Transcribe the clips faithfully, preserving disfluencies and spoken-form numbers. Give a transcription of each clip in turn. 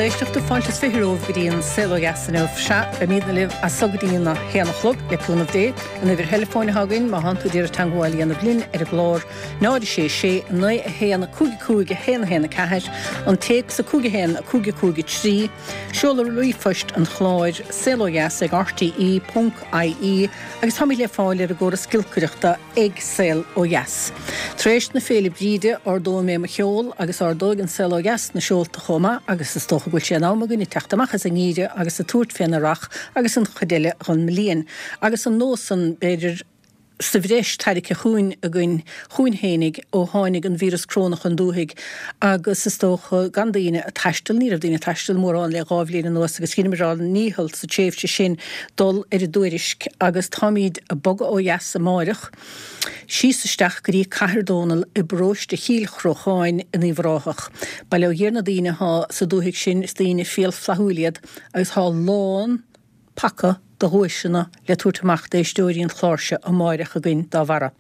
Lucht éisteachta fáilte is fiche romhaibh go dtí an Saol Ó Dheas inniu. Sea, beimidne libh as so go dtí a haon a chlog, le cúnamh Dé. An uimhir theileafóin atá againn, má thánn tú ag iarraidh teagmháil a dhéanamh linn ar an gclár, náid a sé sé, naoi a haon, cúig a cúig, a haon a haon a ceathair, an téacs a cúig a haon, a cúig a cúig a trí, seoladh ríomhphoist an chláir, saol ó dheas ag rte ponc ie, agus táimid le fáil ar an gcóras giolcaireachta ag Saol Ó Dheas. Tar éis na Féile Bríde, ardóidh mé mo sheol agus ardóidh an Saol Ó Dheas na seolta chomh maith agus is dócha go bhfuil sé in am againne teacht amach as an ngeimhreadh agus ag tabhairt fén earrach agus an chuid eile dhon mbliain. Agus an nós san, b'fhéidir, sa bhreis tairgthe chugainn againn chugainn fhéinig ó tháinig an víreas cróna chun dúthaigh agus is dócha gan daoine ag taisteal, ní raibh daoine ag taisteal mórán le dhá bhliain anuas agus dheineamar ár ndícheall sa tréimhse sin dul ar an dtuairisc agus táimíd ag bogadh ó dheas amáireach síos isteach go dtí Cathair Dónall i bparóiste Chill Chrócháin in Uíbh Ráthach. Bail ó Dhia ar na daoine athá sa dúthaigh sin, is daoine fial flaithiúil iad agus thá lán paca de dhuaiseanna le tabhairt amach d'éisteoirí an chláir seo amáireach againn dá bharra.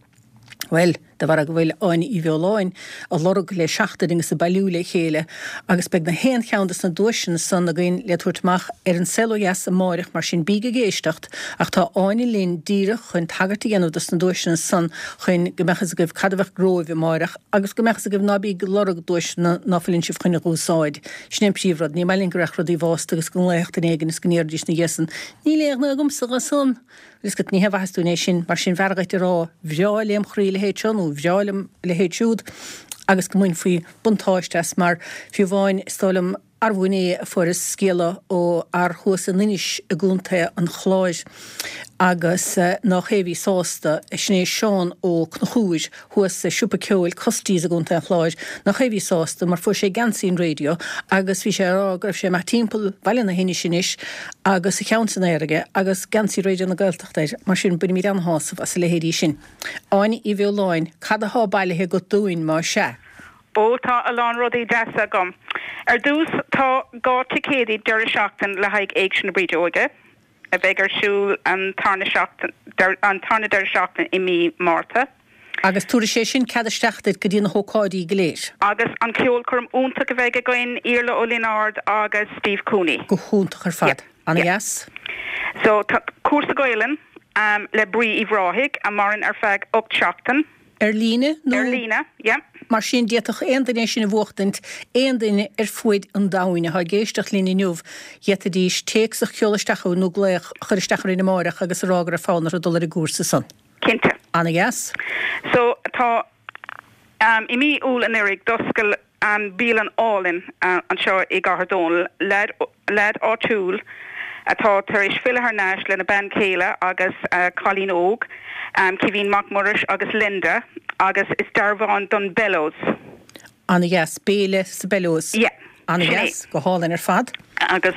Bhuel, de bharra go bhfuil Áine Uí Bheoláin a lorg le seachtain agus ag bailiú le chéile agus beidh na haon cheann des na duaiseanna san againn le tabhairt amach ar An Saol Ó Dheas amáireach mar sin bíg ag éisteacht ach tá Áine linn díreach chun tagairt a dhéanamh dos na duaiseanna san chun go mbeadh fhios agaibh cad a bheadh romhaibh amáireach agus go mbeadh fhios agaibh ná bíg ag lorg duaiseanna ná fuileann sibh chun a dh'úsáid. Sin é an príomhrud. Ní maith linn go raghadh rudaí i bhfásta agus go nglaofadh duine éigin is go n-iarrfaidís ina dhiaidh san Níl aon ghné agamsa dho san. Is go ní hé mhaitheas dúinn é sin, mar sin b'fhearr dhuit a rá bhreá lem chroí a leithéid seo nó bhreá liom a leithéid siúd agus go mbainfí buntáiste as mar fiú amháin is dóigh liom arbh inné a fuaireas scéala ó fhear thuas in Inis i gContae an Chláir agus nách é a bhí sásta, sin é Seán Ó Conchúir thuas sa siopa ceoil Custies i gContae an Chláir, nách é a bhí sásta mar fuair sé geansaí an raidió agus bhí sé ag rá go raibh sé amach timpeall Bhaile na hInise anois agus a cheann san aer aige agus geansaí Raidió na Gaeltachta air, mar sin bainimid an-shásamh as a leithéidí sin. Áine Uí Bheoláin, cad athá bailithe agat dúinn, má sea? Ó, tá a lán rudaí deasa agam. Ar dtús, tá dhá ticéadaí deireadh seachtain le haghaidh Éigse na Brídeoige, a bheidh ar siúl an tarna seachtain, an tarna deireadh seachtain i mí Márta. Agus tabharfaidh sé sin cead isteach duit go dtí na hócáidí go léir. Agus an ceolchoirm iontach a bheidh againn, Iarla Ó Lionáird agus Steve Cooney. Go hiontach ar fad. Ana-dheas. So, tá cúrsa Gaelainn le Brí Uíbh Ráthaigh, a mhaireann ar feadh ocht seachtain. Ar líne nó? Ar líne, yeah. Mar sin, d'fhéadfadh aon duine é sin a bhuachtaint, aon duine ar fuaid an domhain atá ag éisteacht linn inniu, d'fhéadfaidís téacs a sheoladh isteach chugainn nó glaoch a chur isteach orainn amáireach agus a rá go raibh fonn orthu dul ar an gcúrsa san. Cinnte. Ana-dheas. So, tá, i mí Iúil anuraidh, d'oscail bialann álainn anseo i gCathair Dónall, leaid, leaid áitiúil atá tar éis filleadh thar n-ais lena bean chéile agus a cailín óg, Caoimhín Mac Muiris agus Linda, agus is dearbhán don Bellows. Ana-dheas. Béile sa Bellows. Yeah. Sin é. Ana-dheas. Go hálainn ar fad. Agus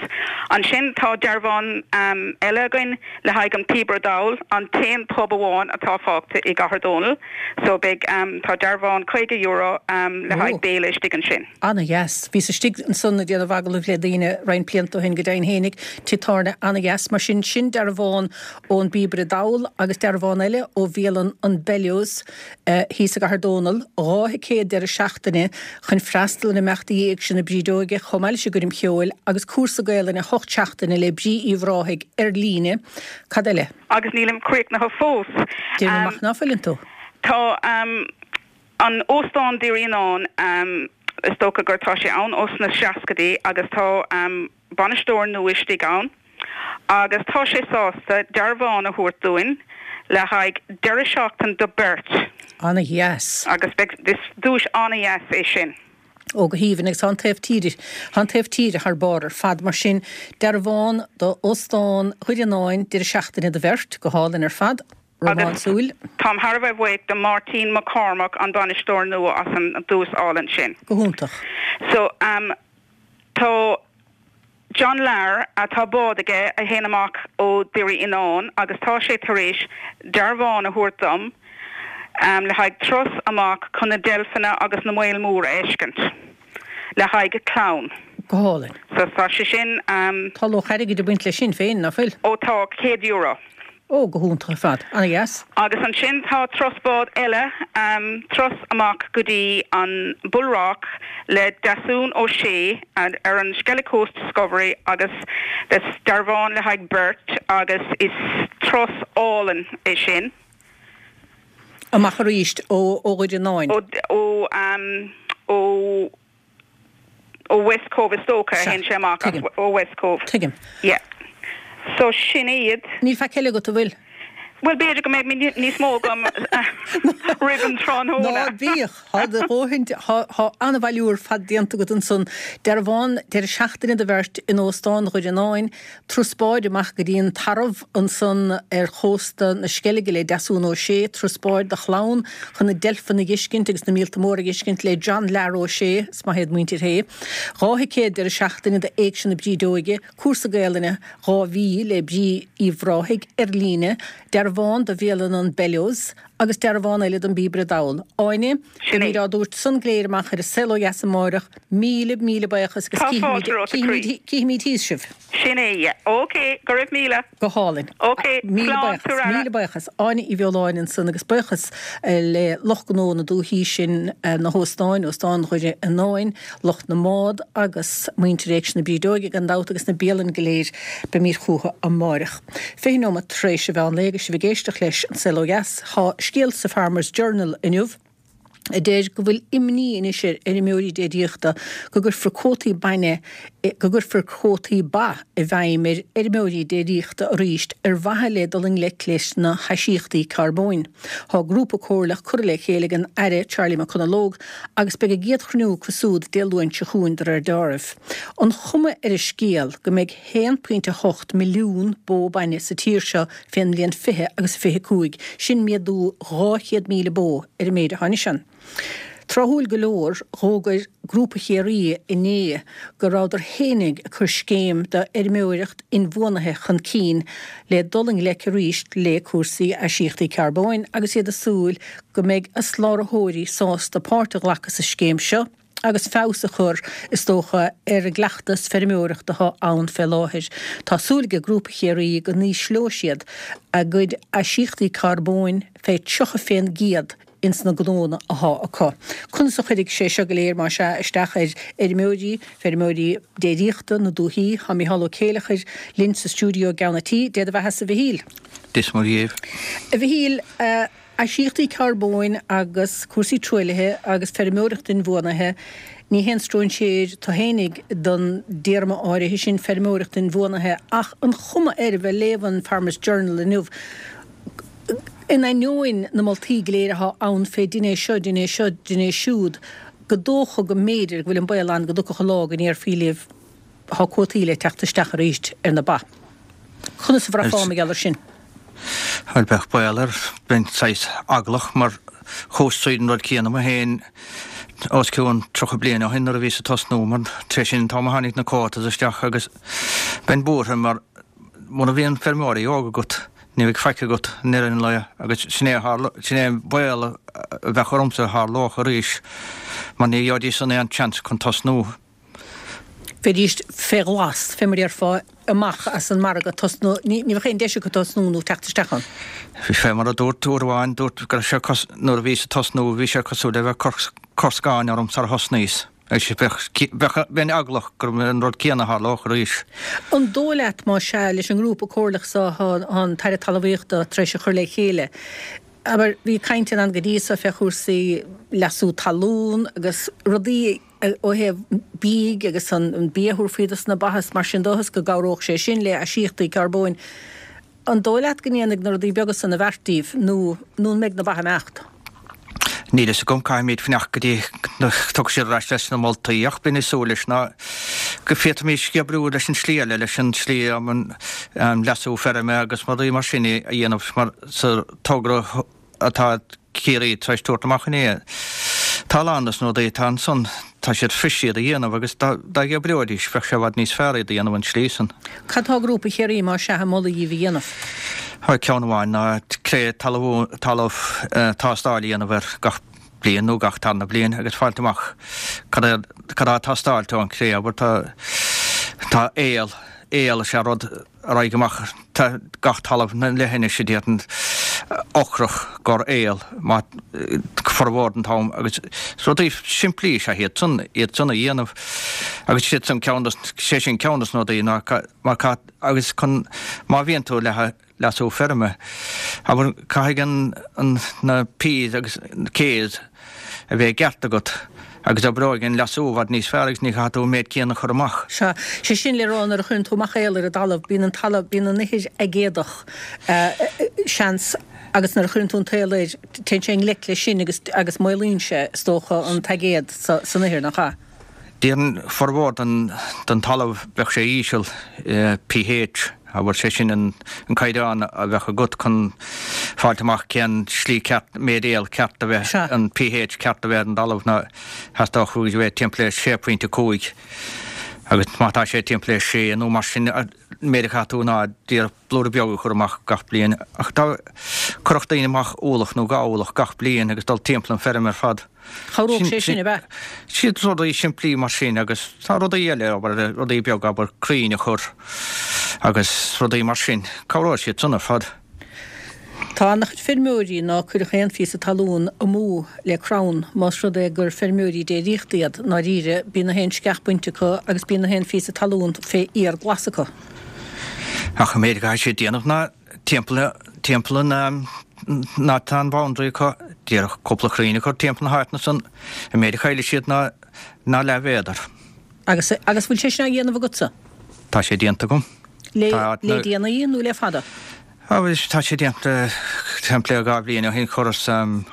ansin tá dearbhán eile againn le haghaidh an Píobaire Dall, an t-aon pub amháin atá fágtha i gCathair Dónall. So beidh, tá dearbhán caoga euro le haghaidh béile istigh ansin. Ana-dheas. Bhíos istigh ansan ag déanamh agallamh le daoine roinnt blianta ó shin, go deimhin fhéinig, tigh tábhairne ana-dheas. Mar sin, sin dearbhán ón bPíobaire Dall agus dearbhán eile ó bhialann an Bellows. thíos i gCathair Dónall, dhá thicéad deireadh seachtaine chun freastal ar imeachtaí Éigse na Brídeoige chomh maith leis an gcoirm cheoil agus cúrsa Gaelainne hocht seachtaine le Brí Uíbh Ráthaigh ar líne. Cad eile? Agus nílim críochnaithe fós. Déarfainn amach ná fuileann tú. Tá an Óstán Doire Fhíonáin, is dócha gur tá sé ann ós na seascaidí agus tá bainisteoir nua istigh ann agus tá sé sásta dearbhán a thabhairt dúinn le haghaidh deireadh seachtain do beirt. Ana-dheas. Agus beidh, is duais ana-dheas é sin. Ó go haoibhinn agus tá an taobh tíre, tá an taobh tíre thar barr ar fad mar sin dearbhán do Óstán Dhoire Fhíonáin deireadh seachtaine do bheirt, go hálainn ar fad. Agus Rómánsúil. táim thar a bheith buíoch do Máirtín Mac Cormaic an bainisteoir nua as an duais álainn sin. Go hiontach. So, tá John Lahr, tá bád aige a théann amach ó Dhoire Fhíonáin agus tá sé tar éis dearbhán a thabhairt dom le haghaidh turas amach chun na deilfeanna agus na moil mór a fheiscint le haghaidh clann. Go hálainn. So tá sé sin. Tá luach airgid ag baint leis sin féin, ná fuil? Ó tá, céad euro. Ó, go hiontach ar fad. Ana-dheas. Agus ansin tá turas bád eile, turas amach go dtí an Bullrock le Deasún Ó Sé ar an Skellig Coast Discovery agus dearbhán le haghaidh beirt agus is turas álainn é sin. Amach arís ó Dhoire Fhionáin. Ó ó ó West Cove is dócha a théann sé amach as ó West Cove. Tuigim. Yeah. So sin iad. Níl faic eile agat, an bhfuil? Bhuel b'fhéidir go mbeidh níos mó agam roimh an tráthnóna. Ná bíodh, tá do dhóthain, tá an-bhailiú ar fad déanta agat ansan. Dearbhán deireadh seachtaine do bheirt in Óstán Dhoire Fhionáin, turas báid amach go dtí an Tarbh ansan ar chósta na Sceilge le Deasún Ó Sé, turas báid do chlann chun na deilfeanna a dh'fheiscint agus na míolta móra a dh'fheiscint le John Lar Ó Sé, is maith iad muintir Shé. Dhá thicéad deireadh seachtaine do Éigse na Brídeoige, cúrsa Gaelainne dhá mhí le Bríd Uí Bhráthaigh ar líne, dearbhán do bhialann an Bellows agus dearbhán eile don Bpíobaire Dall. Áine, beimid á dtabhairt san go léir amach ar an Saol Ó Dheas amáireach, míle míle buíochas agus cífimid thíos sibh. Sin é, yeah. Ok, go raibh míle. Go hálainn. Ok, Míle slán, buíochas, míle buíochas. Áine Uí Bheoláin ansan agus buíochas le lucht gnó na dúichí sin, na hóstáin, Óstán Dhoire Fhionáin, lucht na mbád agus muintir Éigse na Brídeoige gan dabht agus na bialanna go léir. Beimid chucu amáireach. Fiche nóiméad tar éis an mheán lae agus sibh ag éisteacht leis An Saol Ó Dheas. Tá scéal sa Farmers Journal inniu a deir go bhfuil imní anois ar fheirmeoirí déiríochta go gcuirfear cuótaí bainne, go gcuirfear cuótaí ba i bhfeidhm ar fheirmeoirí déiríochta arís ar mhaithe le dul i ngleic leis na haisíochtaí carbóin. Tá grúpa comhairleach curtha le chéile ag an Aire Charlie McConalogue agus beidh a gcéad chruinniú acu súd Dé Luain seo chugainn de réir dealraimh. An chuma ar an scéal go mbeidh haon pointe a hocht milliún bó bainne sa tír seo fén mbliain fiche agus fiche cúig, sin méadú dhá chéad míle bó ar an méid atá anois ann. Tráthúil go leor, dh'fhógair Grúpa Chiarraí inné go rabhadar fhéinig ag cur scéim d'fheirmeoireacht inbhuanaithe chun cinn le dul i ngleic arís le cúrsaí aisíochtaí carbóin agus iad ag súil go mbeidh a slabhraitheoirí sásta páirt a ghlacadh sa scéim seo agus feabhas a chur, is dócha, ar an gcleachtas feirmeoireachta atá ann fé láthair. Tá súil ag Grúpa Chiarraí go n-ísleoidh siad a gcuid aisíochtaí carbóin fé tríocha fén gcéad ins na gnónna athá acu. Conas a chuirfidh sé seo go léir, más ea, isteach ar fheirmeoirí, feirmeoirí déiríochta na dúichí? Tá Micheál Ó Céileachair linn sa stiúideo i gceann a' tí. Dé do bheatha-sa, a Mhichíl. Dia is Muire dhaoibh. A Mhichíl, aisíochtaí carbóin agus cúrsaí truaillithe agus feirmeoireacht inbhuanaithe, ní haon stróinséir tú fhéinig don dtéarma áirithe sin, feirmeoireacht inbhuanaithe, ach an chuma air, a bheith ag léamh an Farmers Journal inniu, In ainneoin na moltaí go léir athá ann fé dein é seo, dein é seo, dein é siúd, go dócha go mb'fhéidir go bhfuil an baol ann go dtiocfadh an lá go ndéarfaí libh thá cuótaí le teacht isteach arís ar na ba. Conas a bhraithfeá mar gheall ar sin? Bhuel, bheadh baol air, bheinn saghas eaglach mar chuas tríd an rud céanna mé féin os cionn tríocha bliain ó shin nuair a bhíos ag tosnú mar tar éis sin an t-am a tháinig na quotas isteach agus bheinn buartha mar muna bhíonn feirmeoirí óga agat Ní bheidh faic agat i ndeireadh an lae agus sin é a tharla, sin é an baol a bheadh ormsa a tharlódh arís mar ní gheobhaidís san aon chance chun tosnú. Bheidís fé ghlas, fé mar a déarfá, amach as an margadh tosnú, ní bheadh aon deis acu tosnú nó teacht isteach ann. Bhí fé mar a dúirt uair amháin, dúirt go raibh sé cos, nuair a bhíos ag tosnú bhí sé cosúil le bheith ag cur scáin orm sar a thosnaíos. Bheadh, bheinn eaglach gurb é an rud céanna a tharlódh arís. An dóigh leat, más ea, leis an ngrúpa comhairleach so atá an tAire Talmhaíochta tar éis a chur le chéile, abair, bhí caint ann go dtí so fé chúrsaí leasú talún agus rudaí ó thaobh bídh agus an bia a thabharfaí dos na ba is mar sin de is go gcabhródh sé sin le haisíochtaí carbóin. An dóigh leat go ndéanfaidh na rudaí beaga san a bheart díobh nó nó an mbeidh na ba ag imeacht? Níl fhios agam, caithfimid fanacht go dtí go dtiocfaidh siad ar ais leis na moltaí ach bheinn ag súil leis ná go bhféadfaimis oibriú leis an slí eile, leis an slí um leasú feirme agus rudaí mar sin a dhéanamh mar sa togra atá Ciarraí tar éis tabhairt amach inné. Tá a lán dos na rudaí atá ansan, tá siad fuirist iad a dhéanamh agus dá dtobreoidís bheadh sé i bhfad níos fearr iad a dhéanamh an tslí san. Cad tá Grúpa Chiarraí más ea ag moladh dhíbh a dhéanamh? Bhuel, ceann amháin ná cré talamh tástáil a dhéanamh air gach bliain nó gach tarna bliain agus fáilt amach cad é cad tá ag teastáilt ón chré, abair tá tá aol, aol is ea rud a raghaidh amach tá gach talamh na leithinis a déarfainn ocrach gor aol má formhór den t-am agus rudaí simplí is ea iad san iad san a dhéanamh agus siad san ceann dos sé sin ceann dos na rudaí ná mar ca agus chun má bhíonn tú le leasú feirme abair caithfidh an an na P's agus K's a bheith i gceart agat agus oibreoidh an leasú i bhfad níos fearr agus ní chaithfidh tú an méid céanna a chur amach. Sea, sé sin le rá nuair a chuireann tú amach aol ar an dtalamh, bíonn an talamh, bíonn an ithir aigéadach, seans, agus nuair a chuireann tú an t-aol air, téann sé i ngleic leis sin agus, agus maolaíonn sé, is dócha, an t-aigéad sa, san ithir, nach ea? Déarfainn formhór den, den talamh bheadh sé íseal, pH, abair, sé sin an, an caighdeán a bheadh agat chun fáilt amach cén slí ceart, méid aol ceart a bheith, Sea. an pH ceart a bheith ar an dtalamh ná theastódh uaidh a bheith timpeall ar sé pointe cúig agus má tá sé timpeall ar sé nó mar sin, an méid a chaithfidh tú ná díreach blúire beag a chur amach gach bliain ach dá gcuirfeadh daoine amach ualach nó dhá ualach gach bliain agus dul timpeall an feirm ar fad. Chabhródh sé sin, ab ea? Siad rudaí simplí mar sin agus tá rudaí eile, abair, rudaí beaga, abair, crainn a chur agus rudaí mar sin. Cabhróidh siad san ar fad. Tá an-chuid feirmeoirí ná cuirfeadh aon phíosa talún amú le crann, más rud é gur feirmeoirí déiríochta iad, ndáiríre, bíonn na haon sceach bainte acu agus bíonn na haon phíosa talún fé fhéar glas acu. Ach an méid a chaithfidh siad déanamh ná timpeall, timpeall an, ná tá an boundary acu, díreach cúpla crainn a chur timpeall na háiteanna san, an méid a chaillfidh siad ná, ná leathmhéadar. Agus, agus bhfuil sé sin á dhéanamh agatsa? Tá sé déanta agam. Le, Tá, le déanaí nó le fada? Á, bhuel, tá sé déanta timpeall le dhá bhliain ó shin, chuireas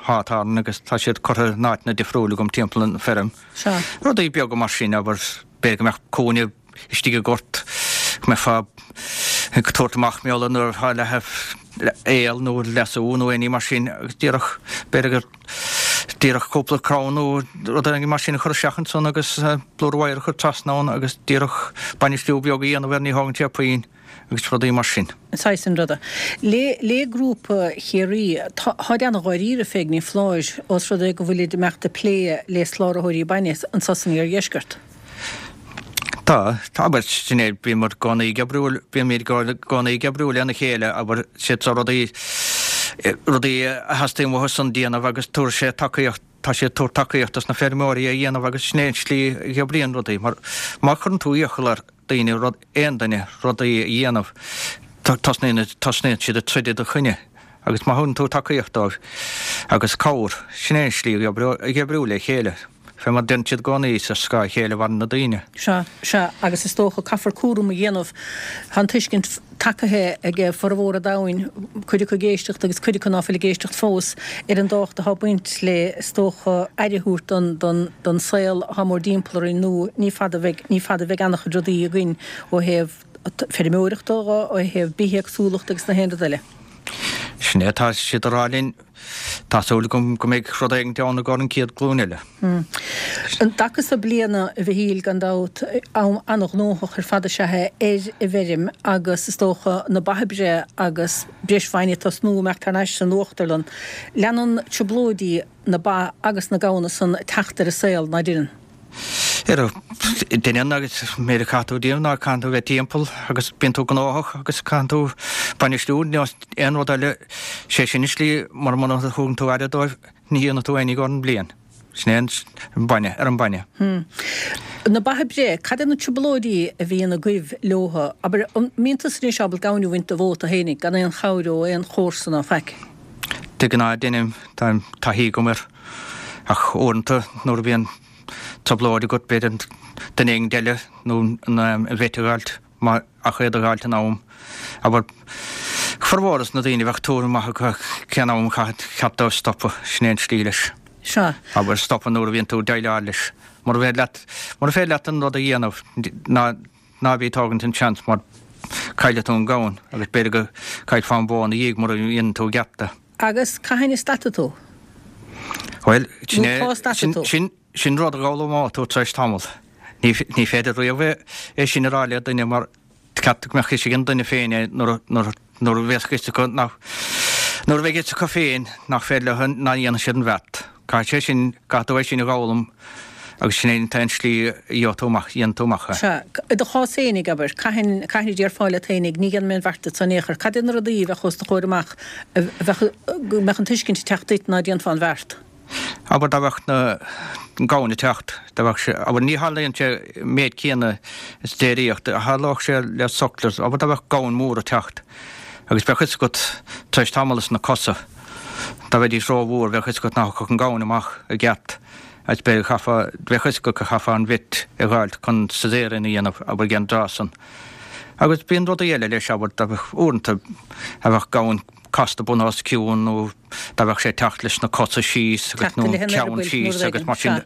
hawthorn agus tá siad curtha in áiteanna difriúla agam timpeall an feirm. Sea. Rudaí beaga mar sin, abair, b'fhéidir go mbeadh cúinne istigh i ngort, go mbeifeá ag tabhairt amach miolla nuair atá le aol nó leasú nó aon ní mar sin agus díreach, b'fhéidir gur díreach cúpla crann nó rud éigin mar sin a chur isteach ansan agus blúire wire a chur trasna ann agus díreach bainistiú beag a dhéanamh air, ní thógann sé puinn agus rudaí mar sin. Saghas an ruda. Le, le Grúpa Chiarraí, tá, táid ana-dháiríre fé ghníomh ós rud é go bhfuilid ag imeacht ag plé le sláraitheoirí bainne anso san iardheisceart. Tá, tá, abair, sin é, bímid i gcónaí ag oibriú, bímid i gcónaí ag oibriú lena chéile, abair, siad seo rudaí, rudaí a theastaíonn uathu san déanamh agus tabharfaidh sé tacaíocht, tá siad ag tabhairt tacaíocht dos na feirmeoirí a dhéanamh agus sin é an tslí a oibríonn rudaí, mar má chuireann tú iachall ar daoine rud, aon duine rudaí a dhéanamh, tosnaíonn, tosnaíonn siad ag troid i do choinne agus má thugann tú tacaíocht dóibh agus cabhair, sin é an slí a oibriú le chéile. Fé mar deireann siad i gcónaí, is ar scáth a chéile a mhaireann na daoine. Sea, sea, agus is dócha, caithfear cúram a dhéanamh. Tá an tuiscint tagaithe ag formhór an domhain, cuid acu ag éisteacht agus cuid acu ná fuil ag éisteacht fós, ar an dtábhacht atá ag baint le, is dócha, aire a thabhairt don, don, don saol atá mórdtimpeall orainn nó ní fada a bheidh, ní fada a bheidh an-chuid rudaí againn ó thaobh feirmeoireachta dho, ó thaobh bithéagsúlachta agus na haon rud eile. Sin é atá siad a rá linn. Tá súil agam go mbeidh rud éigin ann i gcomhair an chéad ghlúin eile. An dtaca so bliana, a Mhichíl, gan dabht, am an-ghnóthach ar fad is ea é ar an bhfeirm agus is dócha na ba ag breith agus breis bhainne ag tosnú imeacht thar n-ais san uachtarlann. Leanann trioblóidí na ba agus na gamhna san teacht ar an saol, ná deineann? Deineann agus an méid a chaithfidh tú déanamh ná caitheann tú bheith timpeall agus bíonn tú gnóthach agus caitheann tú bainistiú nó aon rud eile, sé sin an slí mar muna thugann tú aire dóibh ní dhéanfaidh tú aon ní don bhliain. Sin é an bainne, ar an bainne. Na ba ag breith, cad é na trioblóidí a bhíonn agaibh leotha? Abair, an mbíonn tusa anois ábalta gamhain a bhaint de bhó tú fhéinig gan aon chabhair ó aon chomharsa ná faic? De ghnáth deinim, tá taithí agam air ach uaireanta nuair a bhíonn trioblóid agat, b'fhéidir duine éigin eile nó an vet a dh'fháilt, má, ach iad a dh'fháilt in am. Abair, formhór dos na daoine bheadh tuairim maith acu cén am a chaithfidh, ceart dóibh stopadh, sin é an tslí leis. Sea. Abair, stopadh nuair a bhíonn tú ag déileáil leis. Mura féidir leat, mura féidir leat an rud a dhéanamh, ná, ná bí ag tógaint an seans mar caillfidh tú an gamhain agus b'fhéidir go gcaillfeá an bhó ina dhiaidh mura ndéanann tú i gceart é. Agus cathain a stadfaidh tú? Bhuel, sin Nó é, cá stadfaidh sin, tú? sin, sin rud a dh'fhoghlaimeoidh tú tar éis tamaill. Ní, ní féidir riamh é, é sin a rá le duine mar ceart go mbeadh fhios ag an duine féin é nuair a, nuair a, nuair a bheas fhios acu nach, nuair a bheidh fhios acu féin nach féidir leo, nach ndéanfaidh siad an bheart. Caithfidh sé sin, caithfidh tú é sin a dh'fhoghlaim Agus sin é an t-aon slí a gheobhaidh tú amach, dhéanann tú amach é. Sea. I do chás fhéinig, abair, cathain, cathain a déarfá leat fhéinig, ní dhéanfaidh mé an bheart san in aon chor. Cad é na rudaí a bheadh os do chomhair amach a bheadh, go mbeadh an tuiscint ag teacht duit ná déanfá an bheart? Abair dá mbeadh na gamhain ag teacht, dá mbeadh sé, abair ní tharlaíonn sé an méid céanna is déiríocht, a tharlódh sé le sucklers, abair dá mbeadh gamhain mhór ag teacht agus bheadh fhios agat tar éis tamall is na cosa, dá mbeidís rómhór, bheadh fhios agat nach thiocfadh an gamhain amach i gceart agus b'fhéidir chaithfeá, bheadh fhios agat go chaithfeá an bhit a dh'fháilt chun caesarean a dhéanamh, abair ag an dtráth san. Agus bíonn rudaí eile leis, abair, dá mbeadh uaireanta a bheadh gamhain casta bun os cionn nó dá mbeadh sé ag teacht leis na cosa síos agus nó an ceann síos agus mar sin.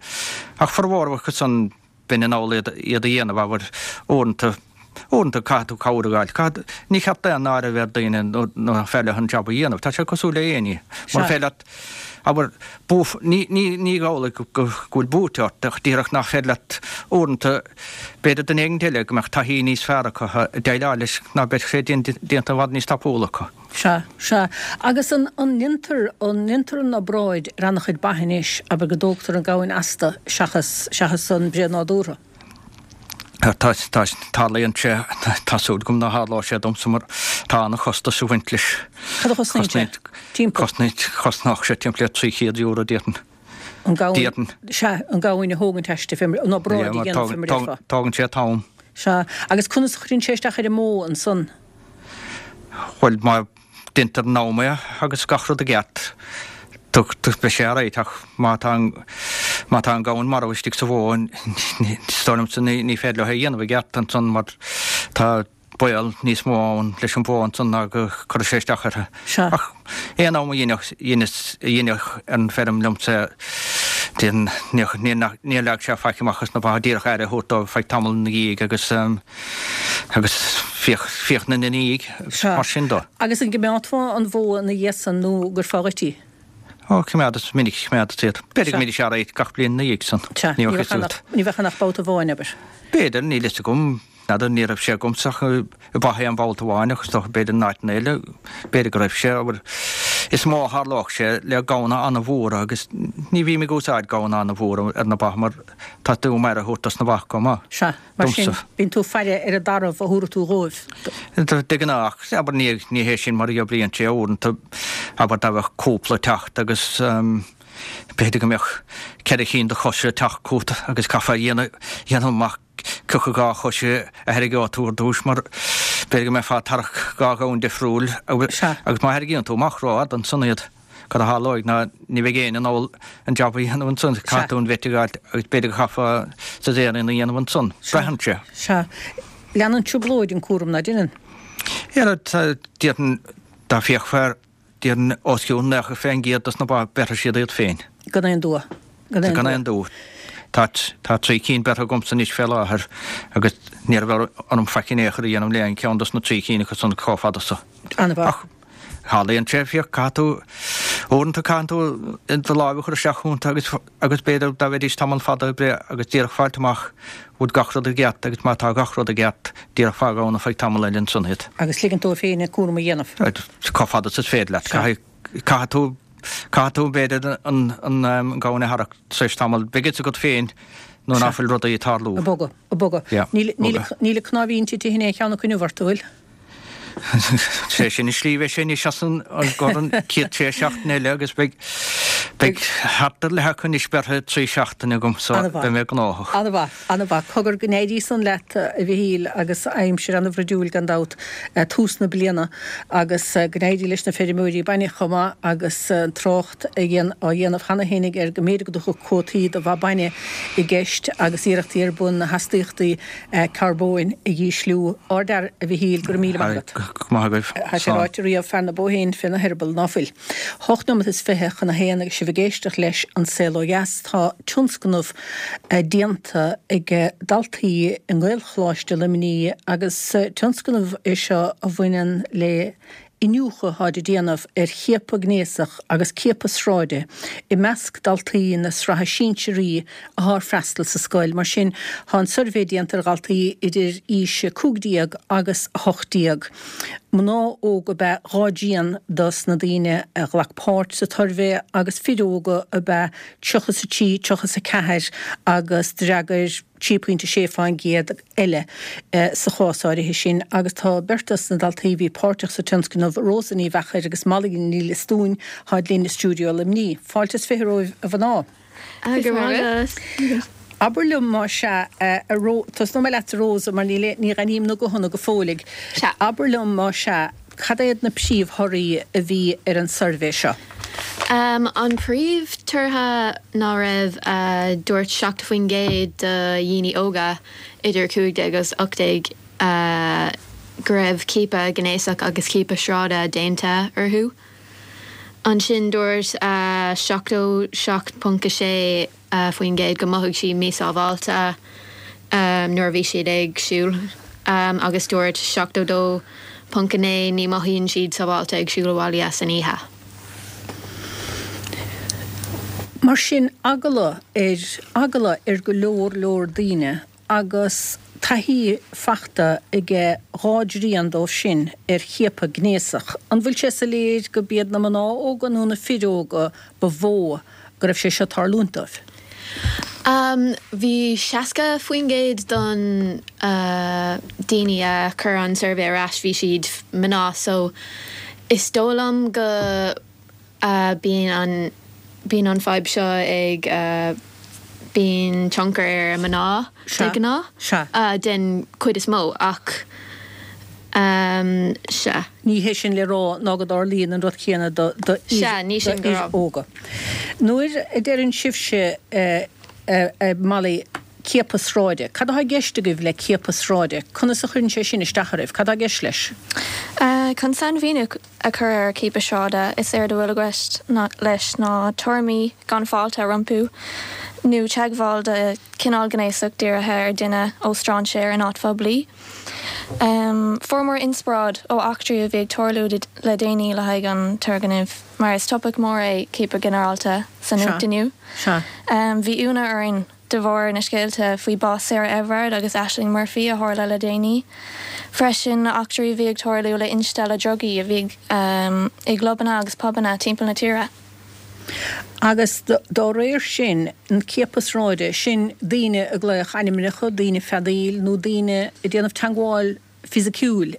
Ach formhór acu san bheinn in ann iad iad a dhéanamh, abair, uaireanta, uaireanta caithfidh tú cabhair a fháil. Caithfidh, ní cheart aon náire a bheith ar daoine nuair nach féidir leo an jab a dhéanamh. Tá sé cosúil le aon ní. Mura féidir leat, abair, buaf, ní, ní, ní amhlaidh go, go bhfuil buaite ort ach díreach nach féidir leat uaireanta, b'fhéidir duine éigin eile go mbeadh taithí níos fearr acu ag déileáil leis ná beadh sé déanta i bhfad níos tapúla acu. Sea, sea. Agus an, an ndéantar, an ndéantar an obráid ar an-chuid ba anois, abair go dtógtar an gamhain astu seachas, seachas an breith nádúrtha? Tá, tá, tarlaíonn sé, tá súil agam ná tharlóidh sé domsa mar tá an-chostas ag baint leis. Cad a chosnaíonn sé? Timpeall? Cosnaíonn, chosnódh sé timpeall le trí chéad euro déarfainn. An gamhain, sea, an gamhain a thógaint aisti, an obráid a dhéanamh fé mar a déarfá. Tógann sé an t-am. Sea, agus conas a chuireann sé isteach ar an mbó ansan? Bhuel, má deintear in am é agus gach rud i gceart, beidh sé alright ach má tá an, má tá an gamhain marbh istigh sa bhó, is dóigh liomsa ní, ní féidir leo é a dhéanamh i gceart ansan mar tá baol níos mó ann leis an bhó ansan ná go gcuirfeadh sé isteach uirthi. Sea. Ach aon am a dheineadh, dheineas, a dheineadh ar an bhfeirm liomsa é, déan, níor, níor, níor leag sé faic amach as na ba, díreach aire a thabhairt dóibh feadh tamall ina dhiaidh agus, agus féach, féach ina ndiaidh, Sea. mar sin dó. Agus an gcoimeádfá an bhó ina dhiaidh san nó an gcuirfeá dhuit í? Ó, coimeádas, minic a choimeádas iad. B'fhéidir go Sea. mbeidís alright gach bliain ina dhiaidh san. Sea, Ní ní bheadh bheadh fhios ann agat. ach, ní bheadh ann ach babhta amháin, abair. B'fhéidir, níl fhios agam. N'fheadar, ní raibh sé agamsa ach i ba aon bhabhta amháin ach is dócha b'fhéidir in áiteanna eile, b'fhéidir go raibh sé, abair, is mó a tharlódh sé le gamhna an-mhóra agus ní bhím ag úsáid gamhna an-mhóra ar na ba mar tá tú um aire a thabhairt dos na ba chomh maith. Sea, mar sin, Domsa. bíonn tú ag faire ar an dtarbh a thabharfaidh tú dhóibh. De ghnáth, ach abair ní, ní hé sin mar a oibríonn sé uaireanta, abair dá mbeadh cúpla ag teacht agus b'fhéidir go mbeadh ceithre chinn de chosa ag teacht chugat agus caithfeá a dhéanamh, dhéanamh amach cé acu dhá chois a tharraingeoidh tú ar dtús mar b'fhéidir go mbeifeá ag tarrac dhá ghamhain difriúil agus má tharraingíonn tú amach rófhada ansan iad, cad a tharlóidh ná ní bheidh éinne in ann an jab a dhéanamh ansan, caithfidh tú an vet a fháilt agus b'fhéidir go chaithfeá caesarean a dhéanamh ansan. Braitheann sé. Sea. Leanann trioblóid an cúram, ná deineann? Yeah, déarfainn dá bhféachfá air Déarfainn os cionn nócha fén gcéad dos na ba, beirfidh siad iad féin. Gan aon dua. Gan aon Gan dua. aon dua. Tá, tá trí cinn beirthe agamsa anois fé láthair agus ní raibh orm faic in aon chor a dhéanamh le aon cheann dos na trí cinn acu san chomh fada so. An-mhaith. Ach tharlaíonn sé, féach, caithfidh tú, uaireanta caitheann tú do láimh a chur isteach iontu agus, agus b'fhéidir dá mbeidís tamall fada ag breith agus díreach fáilt amach bhfuil gach rud i gceart agus má tá gach rud i gceart, díreach fág ann ar feadh tamall eile ansan iad. Agus ligint dóibh féin an cúram a dhéanamh. Chomh fada is is féidir leat. Sea. Caithfidh, caithfidh tú, caithfidh tú b'fhéidir an, an, an gamhain a tharrac tar éis tamaill. Beidh fhios agat féin nuair Sea. nach bhfuil rudaí ag tarlú. Ag bogadh, ag bogadh. Yeah, Níl, níl, bogadh. níl an cnáimhín tite in aon cheann acu inniu ort, an bhfuil? Sé sin an slí bheidh sé anois as an gcor an chéad sé seachtaine eile agus beidh beidh thart ar leath acu anois beirthe trí seachtaine agam so beidh mé gnóthach. An-mhaith, an-mhaith. Cogar go n-éirí san leat a Mhichíl agus aimsir an-bhruidiúil gan dabht, tús na bliana agus go n-éirí leis na feirmeoirí bainne chomh maith agus trácht á dhéanamh cheana féinig ar go mb'fhéidir go dtiocfadh cuótaí do bha bainne i gceist agus iarrachtaí ar bun na hastaíochtaí carbóin a dhísliú. Ardfhear, a Mhichíl, go raibh míle maith agat. Go raibh maith agaibh. Tá sé Slán. ráite riamh, fear na bó féin féna heireaball, ná fuil. Hocht nóiméad is fiche chun a haon agus sibh ag éisteacht leis An Saol Ó Dheas. Tá tionscnamh déanta ag daltaí i nGaelcholáiste Luimnigh agus tionscnamh é seo a bhaineann le Iniúchadh atáid ag déanamh ar chiapadh gnéasach agus ciapadh sráide i measc daltaí na sraithe sinsearaí atá ag freastal sa scoil. Mar sin, tá an suirbhé déanta ar dhaltaí idir aois a cúig déag agus a hocht déag. Mná óga ab ea dhá dtrian dos na daoine a ghlac páirt sa tsuirbhé agus fir óga ab ea tríocha is a trí, tríocha is a ceathair agus d'fhreagair trí pointe sé fán gcéad eile sa chás áirithe sin agus tá beirt dos na daltaí a bhí páirteach sa tionscnamh, Rosa Ní Mheachair agus Molly Ní Liostuain, táid linn i stiúideo Luimnigh. Fáilte is fiche romhaibh a mhná. Go raibh maith agat. Abair liom más ea, a Ro, tosnóidh mé leatsa Rosa mar níl, ní aithním na guthanna go fóilligh. Sea. Abair liom más ea, cad iad na príomhthorthaí a bhí ar an suirbhé seo? An príomh-tortha ná raibh, dúirt seachtó faoin gcéad de dhaoine óga idir cúig déag agus ocht déag go raibh ciapadh gnéasach agus ciapadh sráide déanta orthu. Ansin dúirt seachtó seacht ponc a sé faoin gcéad go mothaigh siad míshábháilte nuair a bhí siad ag siúl agus dúirt seachtó dó ponc a naoi ní mothaíonn siad sábháilte ag siúl abhaile san oíche. Mar sin, eagla ar eagla ar go leor leor daoine agus taithí fachta aige dhá dtrian dóibh sin ar chiapadh gnéasach. An bhfuil sé soiléir go b'iad na mná óga nó na fir óga ba mhó go raibh sé seo tarlúint dóibh? Bhí seasca faoin gcéad don daoine a chuir an suirbhé ar ais, bhí siad mná so is dóigh liom go bíonn an bíonn an fadhb seo ag bíonn tionchar ar mná de ghnáth den chuid is mó ach sea. Ní hé sin le rá ná go dtarlaíonn an rud céanna do fhir óga. Nuair a deireann sibhse, a Molly, ciapadh sráide, cad atá i gceist agaibh le ciapadh sráide? Conas a chuireann sé sin isteach oraibh? Cad atá i gceist leis? Chun sainmhíniú a chur ar chiapadh sráide, is éard a bhfuil i gceist leis ná tuairimí gan fáilte rompu nó teagmháil de chineál gnéasach dírithe ar dhuine ó strainséir in áit phoiblí. Fuaireamar inspioráid ó eachtraí a bhí ag tarlú le déanaí le haghaidh an turgnaimh, mar is topaic mór é ciapadh ginearálta sa nuacht inniu. Bhí ionadh orainn de bharr na scéalta faoi bás Sarah Everard agus Ashling Murphy a tharla le déanaí. Freisin, eachtraí a bhí ag tarlú le instealladh drugaí a bhí i gclubanna agus pubanna timpeall na tíre. Agus dá réir sin, an ciapadh sráide, sin daoine ag glaoch ainmneacha, daoine feadaíl nó daoine ag déanamh teagmháil fisiciúil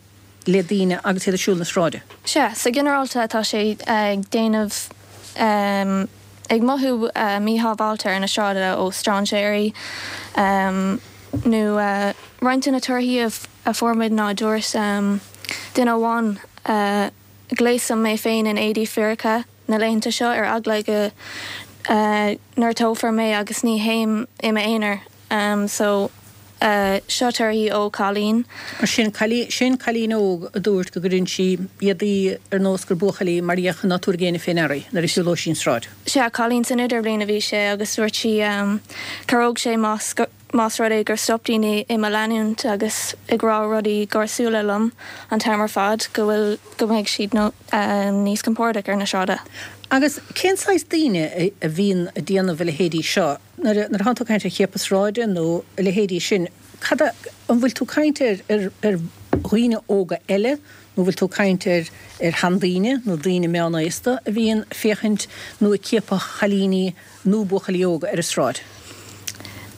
le daoine agus iad ag siúl na sráide. Sea, sa ginearálta tá sé ag déanamh, ag mothú míshábháilte ar na sráideanna ó strainséirí nó roinnt de na torthaí a fuair muid ná dúirt duine amháin, Gléasaim mé féin in éadaí fíoracha na laethanta seo ar eagla go ngortófar mé agus ní théim i m'aonar so seo torthaí ó chailín. Mar sin, sin cailín óg a dúirt go gcuireann sí éadaí ar nós gur buachaillí mar dhea ná tabharfaidh éinne fé ndeara í nuair a shiúlóidh sí an tsráid. Sea, cailín san idirbhliain a bhí sé agus dúirt sí cabhródh sé más Más rud é gur stop daoine i mo leanúint agus ag rá rudaí gáirsiúla liom an t-am ar fad, go bhfuil, go mbeidh siad níos compordach ar na sráide. Agus cén saghas daoine a bhíonn ag déanamh a leithéidí seo? Nuair a, nuair atánn tú ag caint ar chiapadh sráide nó a leithéidí sin, cad a, an bhfuil tú ag caint ar, ar, ar dhaoine óga eile nó bhfuil tú ag caint ar, ar sheandaoine nó daoine meánaosta a bhíonn ag féachaint nó ag ciapadh chailíní nó buachaillí óga ar an sráid?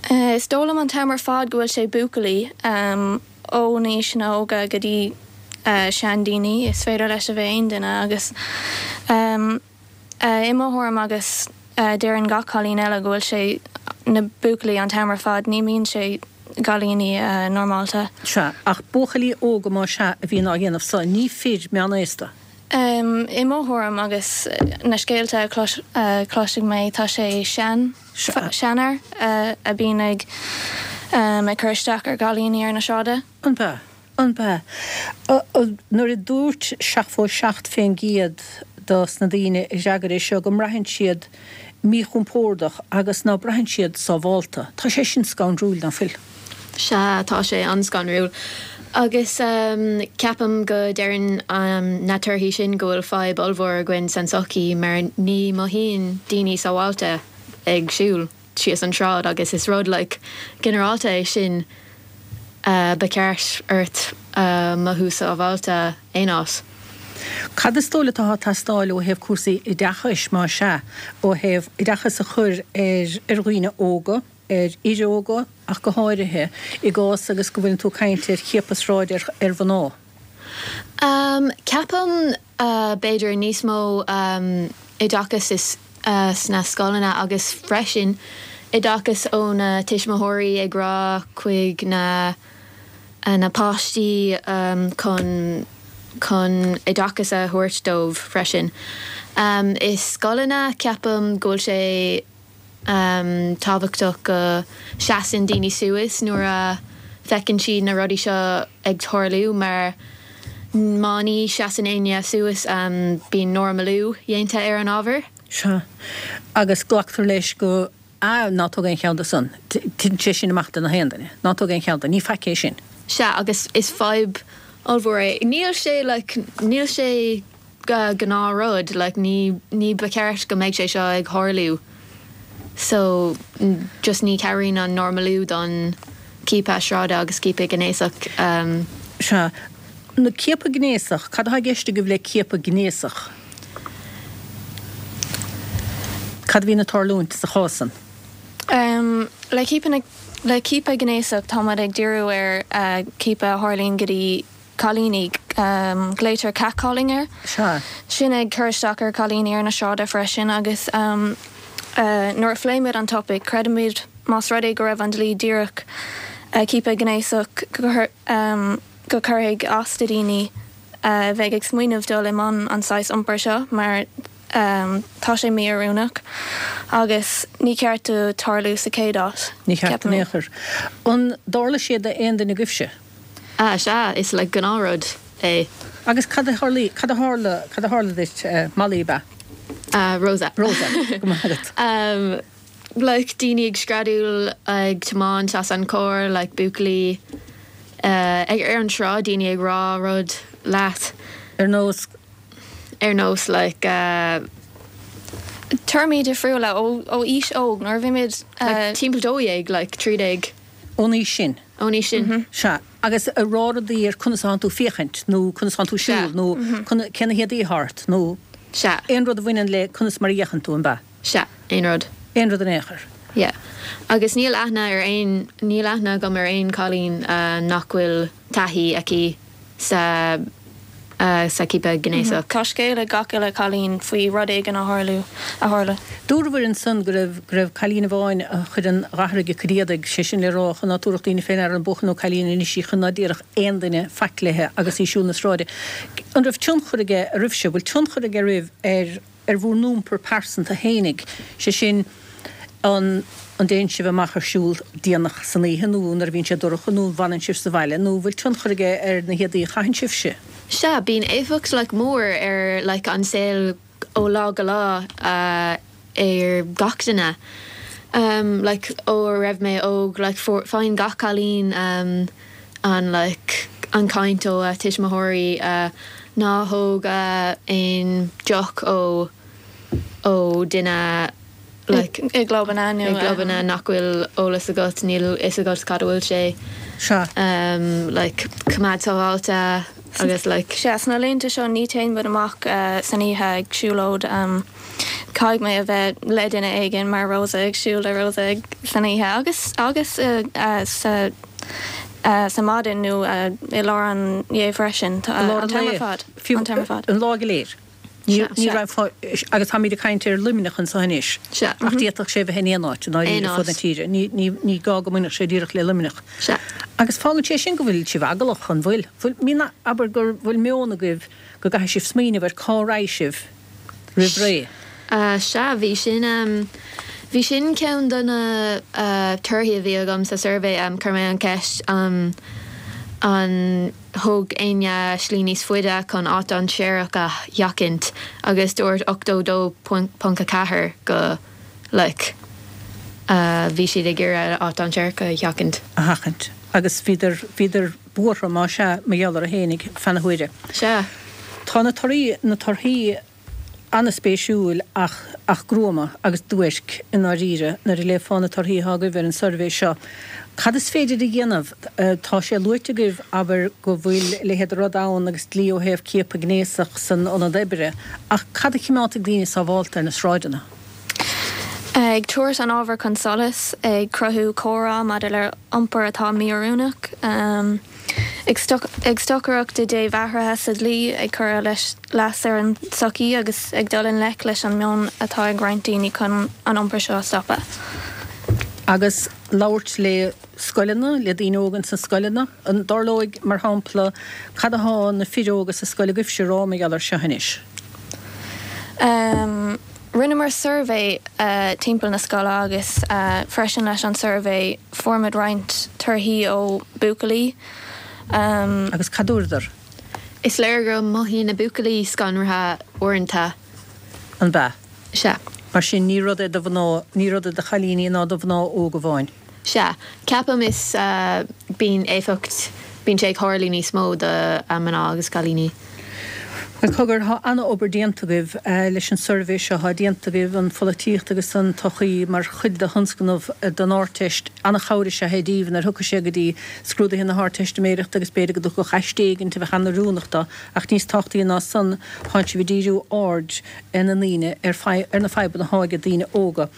Is dóigh liom an t-am ar fad go bhfuil sé buachaillí, ó na haoiseanna óga go dtí seandaoine, is féidir leis a bheith aon duine agus i mo thuairim agus deireann gach cailín eile go bhfuil sé na buachaillí an t-am ar fad, ní mbíonn sé gcailíní normálta. Sea, ach buachaillí óga más ea a bhíonn á dhéanamh so, ní fir meánaosta. I mo thuairim agus na scéalta a chloisfidh mé, tá sé sean, seanfhear a bíonn ag ag cur isteach ar gcailíní ar na sráide. An b'ea? An b'ea? Nuair a dúirt seachtó seacht fén gcéad dos na daoine a d'fhreagair é seo go mbraitheann siad míchompordach agus ná braitheann siad sábhálta, tá sé sin scanrúil, ná fuil? Sea, tá sé an-scanrúil. Agus ceapaim go deireann na torthaí sin go bhfuil fadhb ollmhór againn san tsochaí mar ní mothaíonn daoine sábháilte ag siúl síos an tsráid agus is rud like ginearálta é sin ba cheart ort mothú sábháilte aon áit. Cad is dóigh leat atá ag teastáil ó thaobh cúrsaí oideachais más ea, ó thaobh oideachas a chur ar ar dhaoine óga, ar fhir óga ach go háirithe, i gcás agus go bhfuileann tú ag caint ar chiapadh sráide ar ar mhná? Um, ceapaim uh, b'fhéidir níos mó um, oideachas is uh, sna scoileanna agus freisin oideachas ó na tuismitheoirí ag rá chuig na na páistí um, chun chun oideachas a thabhairt dóibh freisin. Um, I scoileanna ceapaim go bhfuil sé um, tábhachtach go seasann daoine suas nuair a feiceann siad na rudaí seo ag tarlú mar má ní seasann éinne suas um, bíonn normalú déanta ar an ábhar. Sea. Agus glactar leis go ah, ná tóg aon cheann de san. Titeann sé sin amach do na haon duine. Ná tóg aon cheann de, ní faic é sin. Sea, agus is fadhb ollmhór é. Níl sé like, níl sé gnáthrud, like, ní, ní ba cheart go mbeidh sé seo ag tarlú. So just ní chabhraíonn an normalú don ciapadh sráide agus ciapadh gnéasach. Um, Sea, na ciapadh gnéasach, cad atá i gceist agaibh le ciapadh gnéasach? Cad a bhíonn ag tarlúint sa chás san? Um, le ciapadh le ciapadh gnéasach táimid ag díriú ar uh, ciapadh a tharlaíonn go dtí cailíní um, glaotar catcalling air. Sea. Sin ag cur isteach ar cailíní ar na sráide freisin agus um, uh, nuair a phléimid an topic, creidimid más rud é go raibh an dlí díreach uh, ciapadh gnéasach go, um, go cuirfidh as do daoine uh, bheidh ag smaoineamh dul i mbun an saghas iompair seo mar um, tá sé mí-oiriúnach agus ní ceart do tarlú sa chéad áit. Ní ceart ceapaim. in aon chor. An dtarla sé d'aon duine agaibhse? Ah, sea, is like gnáthrud é. Agus cad a tharla, cad a tharla, cad a tharla duit, uh, Molly ba? Uh, Rosa. Rosa, go maith agat. Um, like daoine ag screadaíl ag tiomáint as an carr, like buachaillí uh, ag ar an sráid daoine ag rá rud leat. Ar nós? Ar nós like uh, Téarmaí difriúla ó ó aois óg nuair a bhí muid like, uh, timpeall dó dhéag, like trí déag. Ón aois sin? Ón aois sin. Sea, agus ag rá rudaí ar conas atánn tú féachaint nó conas atánn tú siúl Sea. nó cé na héadaí atá ort nó Sea. aon rud a bhaineann le conas mar a fhéachann tú an b'ea? Sea, aon rud. Aon rud in aon chor. Yeah. Agus níl aithne ar aon, níl aithne agam ar aon cailín uh, nach bhfuil taithí aici sa uh, sa ciapadh gnéasach. Tá scéal ag gach uile cailín faoi rud éigin a tharlú a tharla. Dúradh ansan go raibh go raibh cailín amháin a chuir an ghathraigh a cuid éadaigh, sé sin le rá chun ná tabharfadh daoine faoi ndeara an buachaill nó cailín anois í chun ná déarfadh aon duine faic léi agus í ag siúl na sráide. An raibh tionchar aige oraibhse, bhfuil tionchar aige oraibh ar ar bhur n-iompar pearsanta fhéinig, sé sin an an dtéann sibh amach ar siúl déanach san oíche nó nuair a bhíonn sé dorcha nó an bhfanann sibh sa bhaile nó bhfuil tionchar aige ar na héadaí a chaitheann sibhse? Sea, bíonn éifeacht like, mór ar like, an saol ó lá go lá uh, ar gach duine. Um, like, ó raibh mé óg like, for, faigheann gach cailín um, an, like, an caint ó uh, tuismitheoirí uh, ná thóg uh, aon deoch ó ó duine like, I gclubanna nó i gclubanna nach bhfuil eolas agat níl fhios agat cad a bhfuil sé. Sea. Um, like, coimeád sábháilte agus like. Sea, sna laethanta seo ní théann muid amach uh, san oíche ag siúlóid um, caithfidh mé a bheith le duine éigin mar Rosa ag siúl le Rosa ag san oíche agus agus uh, uh, sa uh, sa maidin nó uh, i lár an lae freisin I lár an an t-am ar lae. fad. Fiú An t-am ar fad. An lá go léir. Ní Sea. ní Sea. raibh fá- agus táimid ag caint ar Luimneach anseo anois. Sea. Ach d'fhéadfadh sé bheith in aon áit, ná Aon fud na áit. tíre. Ní ní ní gá go mbainfeadh sé díreach le Luimneach. Sea. Agus fágann sé sin go bhfuil sibh eaglach an bhfuil. Bhfuil mín abair gur bhfuil meon agaibh go gcaithfidh sibh smaoineamh ar cá raghaidh sibh roimh ré. Uh, sea, bhí sin um, bhí sin ceann de na uh, torthaí a bhí agam sa suirbhé um, chuir mé an ceist um, an thóg éinne slí níos faide chun áit dainséarach a sheachaint agus dúirt ochtó dó ponc a ceathair go like, uh, bhí siad ag iarraidh áit dainséarach a sheachaint. A sheachaint. Agus bhíodar, bhíodar buartha más ea, mar gheall orthu fhéinig feadh na huaire. Sea. Tá na torthaí, na torthaí an-spéisiúil ach, ach gruama agus duairc i ndáiríre nuair a léifeá na torthaí atá agaibh ar an suirbhé seo. Cad is féidir a dhéanamh? Tá sé luaite agaibh, abair, go bhfuil a leithéid de rud ann agus dlí ó thaobh ciapadh gnéasach san ionad oibre, ach cad a chimeádfaidh daoine sábhálta ar na sráideanna? Ag tabhairt an ábhair chun solais, ag cruthú comhrá maidir le iompar atá mí-oiriúnach, ag stocaireacht i dtaobh athruithe sa dlí, ag cur leas ar an tsochaí agus ag dul i ngleic leis an meon atá ag roinnt daoine chun an iompar seo a stopadh. Agus labhairt le scoileanna, le daoine óga ins na scoileanna. An dtarlóidh, mar shampla, cad atá na fir óga sa scoil agaibhse a rá mar gheall air seo anois? Rinneamar suirbhé timpeall na scoile agus freisin leis an suirbhé fuair muid roinnt torthaí ó buachaillí. Agus cad dúradar? Is léir go mothaíonn na buachaillí scanraithe uaireanta. An b'ea? Sea. Mar sin ní rud é do mhná, ní rud é do chailíní ná do mhná óga amháin. Sea. Ceapaim is bíonn éifeacht, bíonn sé ag tarlú níos mó do mná agus cailíní. Bhuel, cogar, tá an-obair déanta agaibh leis an suirbhé seo atá déanta agaibh, an pholaitíocht agus an tsochaí mar chuid de thionscnamh don Ardteist. An-chabhair is ea é daoibh nuair a thiocfaidh sé go dtí scrúduithe na hArdteistiméireachta agus b'fhéidir go dtiocfadh aiste éigint a bheadh an-oiriúnach dó. Ach níos tábhachtaí ná san, tánn sibh ag díriú aird na ndaoine ar ar na fadhbanna atá ag daoine óga.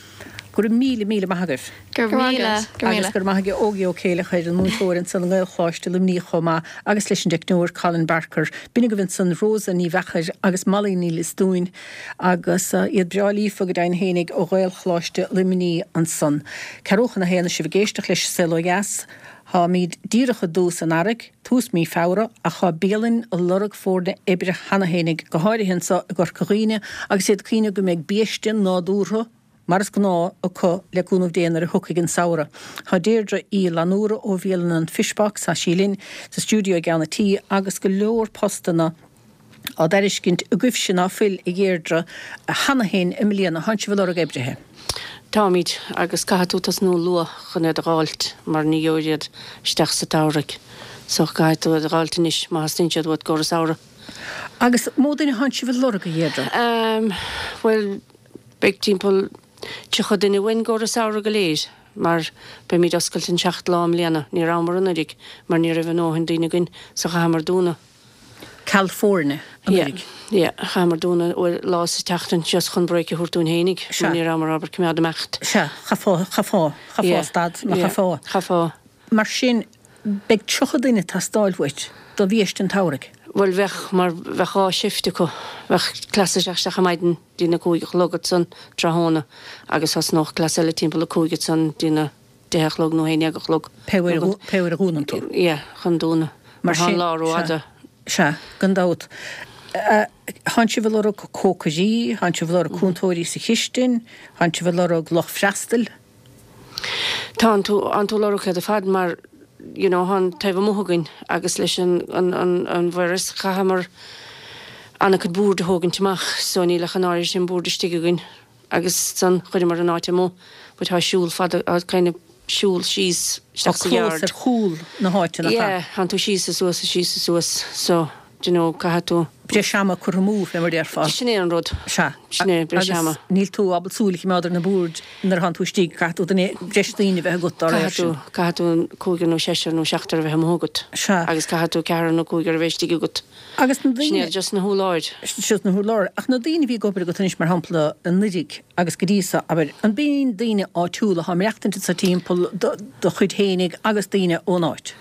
Go raibh míle, míle maith agaibh. Go raibh míle. Agus go raibh maith ag Ógie Ó Céileachair, an múinteoir ansan i nGaelcholáiste Luimnigh chomh maith, agus leis an dteicneoir Colin Barker. B'in agaibh ansan Rosa Ní Mheachair agus Molly Ní Liostuain agus iad breá líofa go deimhin fhéinig ó Ghaelcholáiste Luimnigh ansan. Ceathrú chun a haon is sibh ag éisteacht leis Saol Ó Dheas. Táimid díreach i dtús an earraigh, tús mí Feabhra, ach tá bialainn ag lorg foirne oibre cheana fhéinig, go háirithe anso i gCorca Dhuibhne, agus iad ag cuimhneamh go mbeidh biaiste nádúrtha, mar is gnáth, acu le cúnamh Dé nuair a thiocfaidh an samhradh. Tá Deirdre Uí Fhlannúra ó bhialann an Fishbox, tá sí linn sa stiúideo i gceann an tí, agus go leor postanna á dtairiscint agaibhse ná fuil, a Dheirdre, cheana féin i mbliana. Tánn sibh ag lorg oibrithe? Táimid, agus caithfidh tú tosnú luath chun iad a dh'fháilt mar ní gheobhaidh iad isteach sa tsamhraidh. So caithfidh tú iad a dh'fháilt anois má theastaíonn siad uait i gcomhair an samhradh. Agus mó duine thánn sibh ag lorg, a Dheirdre? Bhuel, beidh timpeall tríocha duine uainn i gcomhair an samhradh go léir mar beimid oscailte an seacht lá i mbliana. Ní rabhamar anuraidh mar ní raibh a ndóthain daoine againn so chaitheamar dúnadh. Ceal foirne anuraidh. Yeah, chaitheamar dúnadh uair lá sa tseachtain just chun break a thabhairt dúinn fhéinig mar ní rabhamar ábalta coimeád imeacht. Sea, chaithfeá, chaithfeá, chaithfeá stad mar chaithfeá. Chaithfeá. Mar sin, beidh tríocha duine ag teastáil uait do bhiaiste an tsamhraidh. Bhuel, bheadh, mar bheadh dhá shift acu. Bheadh cleas ag teacht isteach ar maidin dtína cúig a chlog ansan tráthnóna agus thosnódh cleas eile timpeall a cúig ansan dtína deich a chlog nó haon dhéag a chlog. Pé uair pé uair a dhúnann tú. Yeah, chun dúnadh. Mar tá an lá rófhada. Sea, gan dabht. Tánn sibh ag lorg cócairí, tánn sibh ag lorg cúntóirí sa chistin, tánn sibh ag lorg lucht freastail. Tánn tú, tánn tú ag lorg iad ar fad mar you know thá an taobh amuigh againn agus leis an an an an virus chaitheamar an-chuid boird a thógaint amach so níl ach an áirithe sin boird istigh againn agus san chuireamar an áit amuigh but tá siúl fada tá kind of siúl síos Tá isteach sa clós yard. ar chúl na háite nach ea? Yeah, tánn tú síos is suas is síos is suas so do you know caithfidh tú. Breis ama curtha amú fé mar déarfá. Sin é an rud. Sea. Sin é, breis Agus ama. níl tú ábalta súil a choimeád ar na boird nuair atánn tú istigh, caithfidh tú duine, breis daoine a bheith agat dá réir Caithfidh tú, sin. caithfidh tú cúigear nó seisear nó seachtar a bheith amuigh agat. Sea. Agus caithfidh tú ceathrar nó cúigear a bheith istigh agat. Agus na Sin daoine. iad just na hurláir. Just na hurláir. Ach na daoine a bhí ag obair agat anois, mar shampla, anuraidh agus go dtí so, abair, an b'in daoine áitiúla atá ag maireachtaint anso timpeall do, do chuid fhéinig agus daoine ón áit?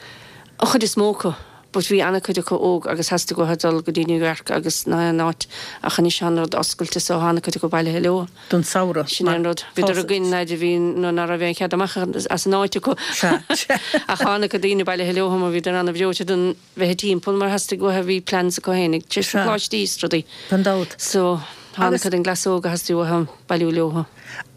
An chuid is mó acu. But bhí an-chuid acu óg agus theastaigh uathu dul go dtí New York agus na haon áit ach anois tá an rud oscailte so tá an-chuid acu bailithe leo. Don samhradh. Sin é an rud. Bhíodar againn leaid a bhí nó ná raibh aon chead amach as an áit acu. Sea, sea. Ach tá an-chuid daoine bailithe leo mar bhíodar an-bhreoite don bheith timpeall mar theastaigh uathu bhí plans acu fhéinig tar éis na Sea. coláistí is rudaí. Gan dabht. So. Tá an-chuid den gcleas óg a theastaigh uathu bailiú leo.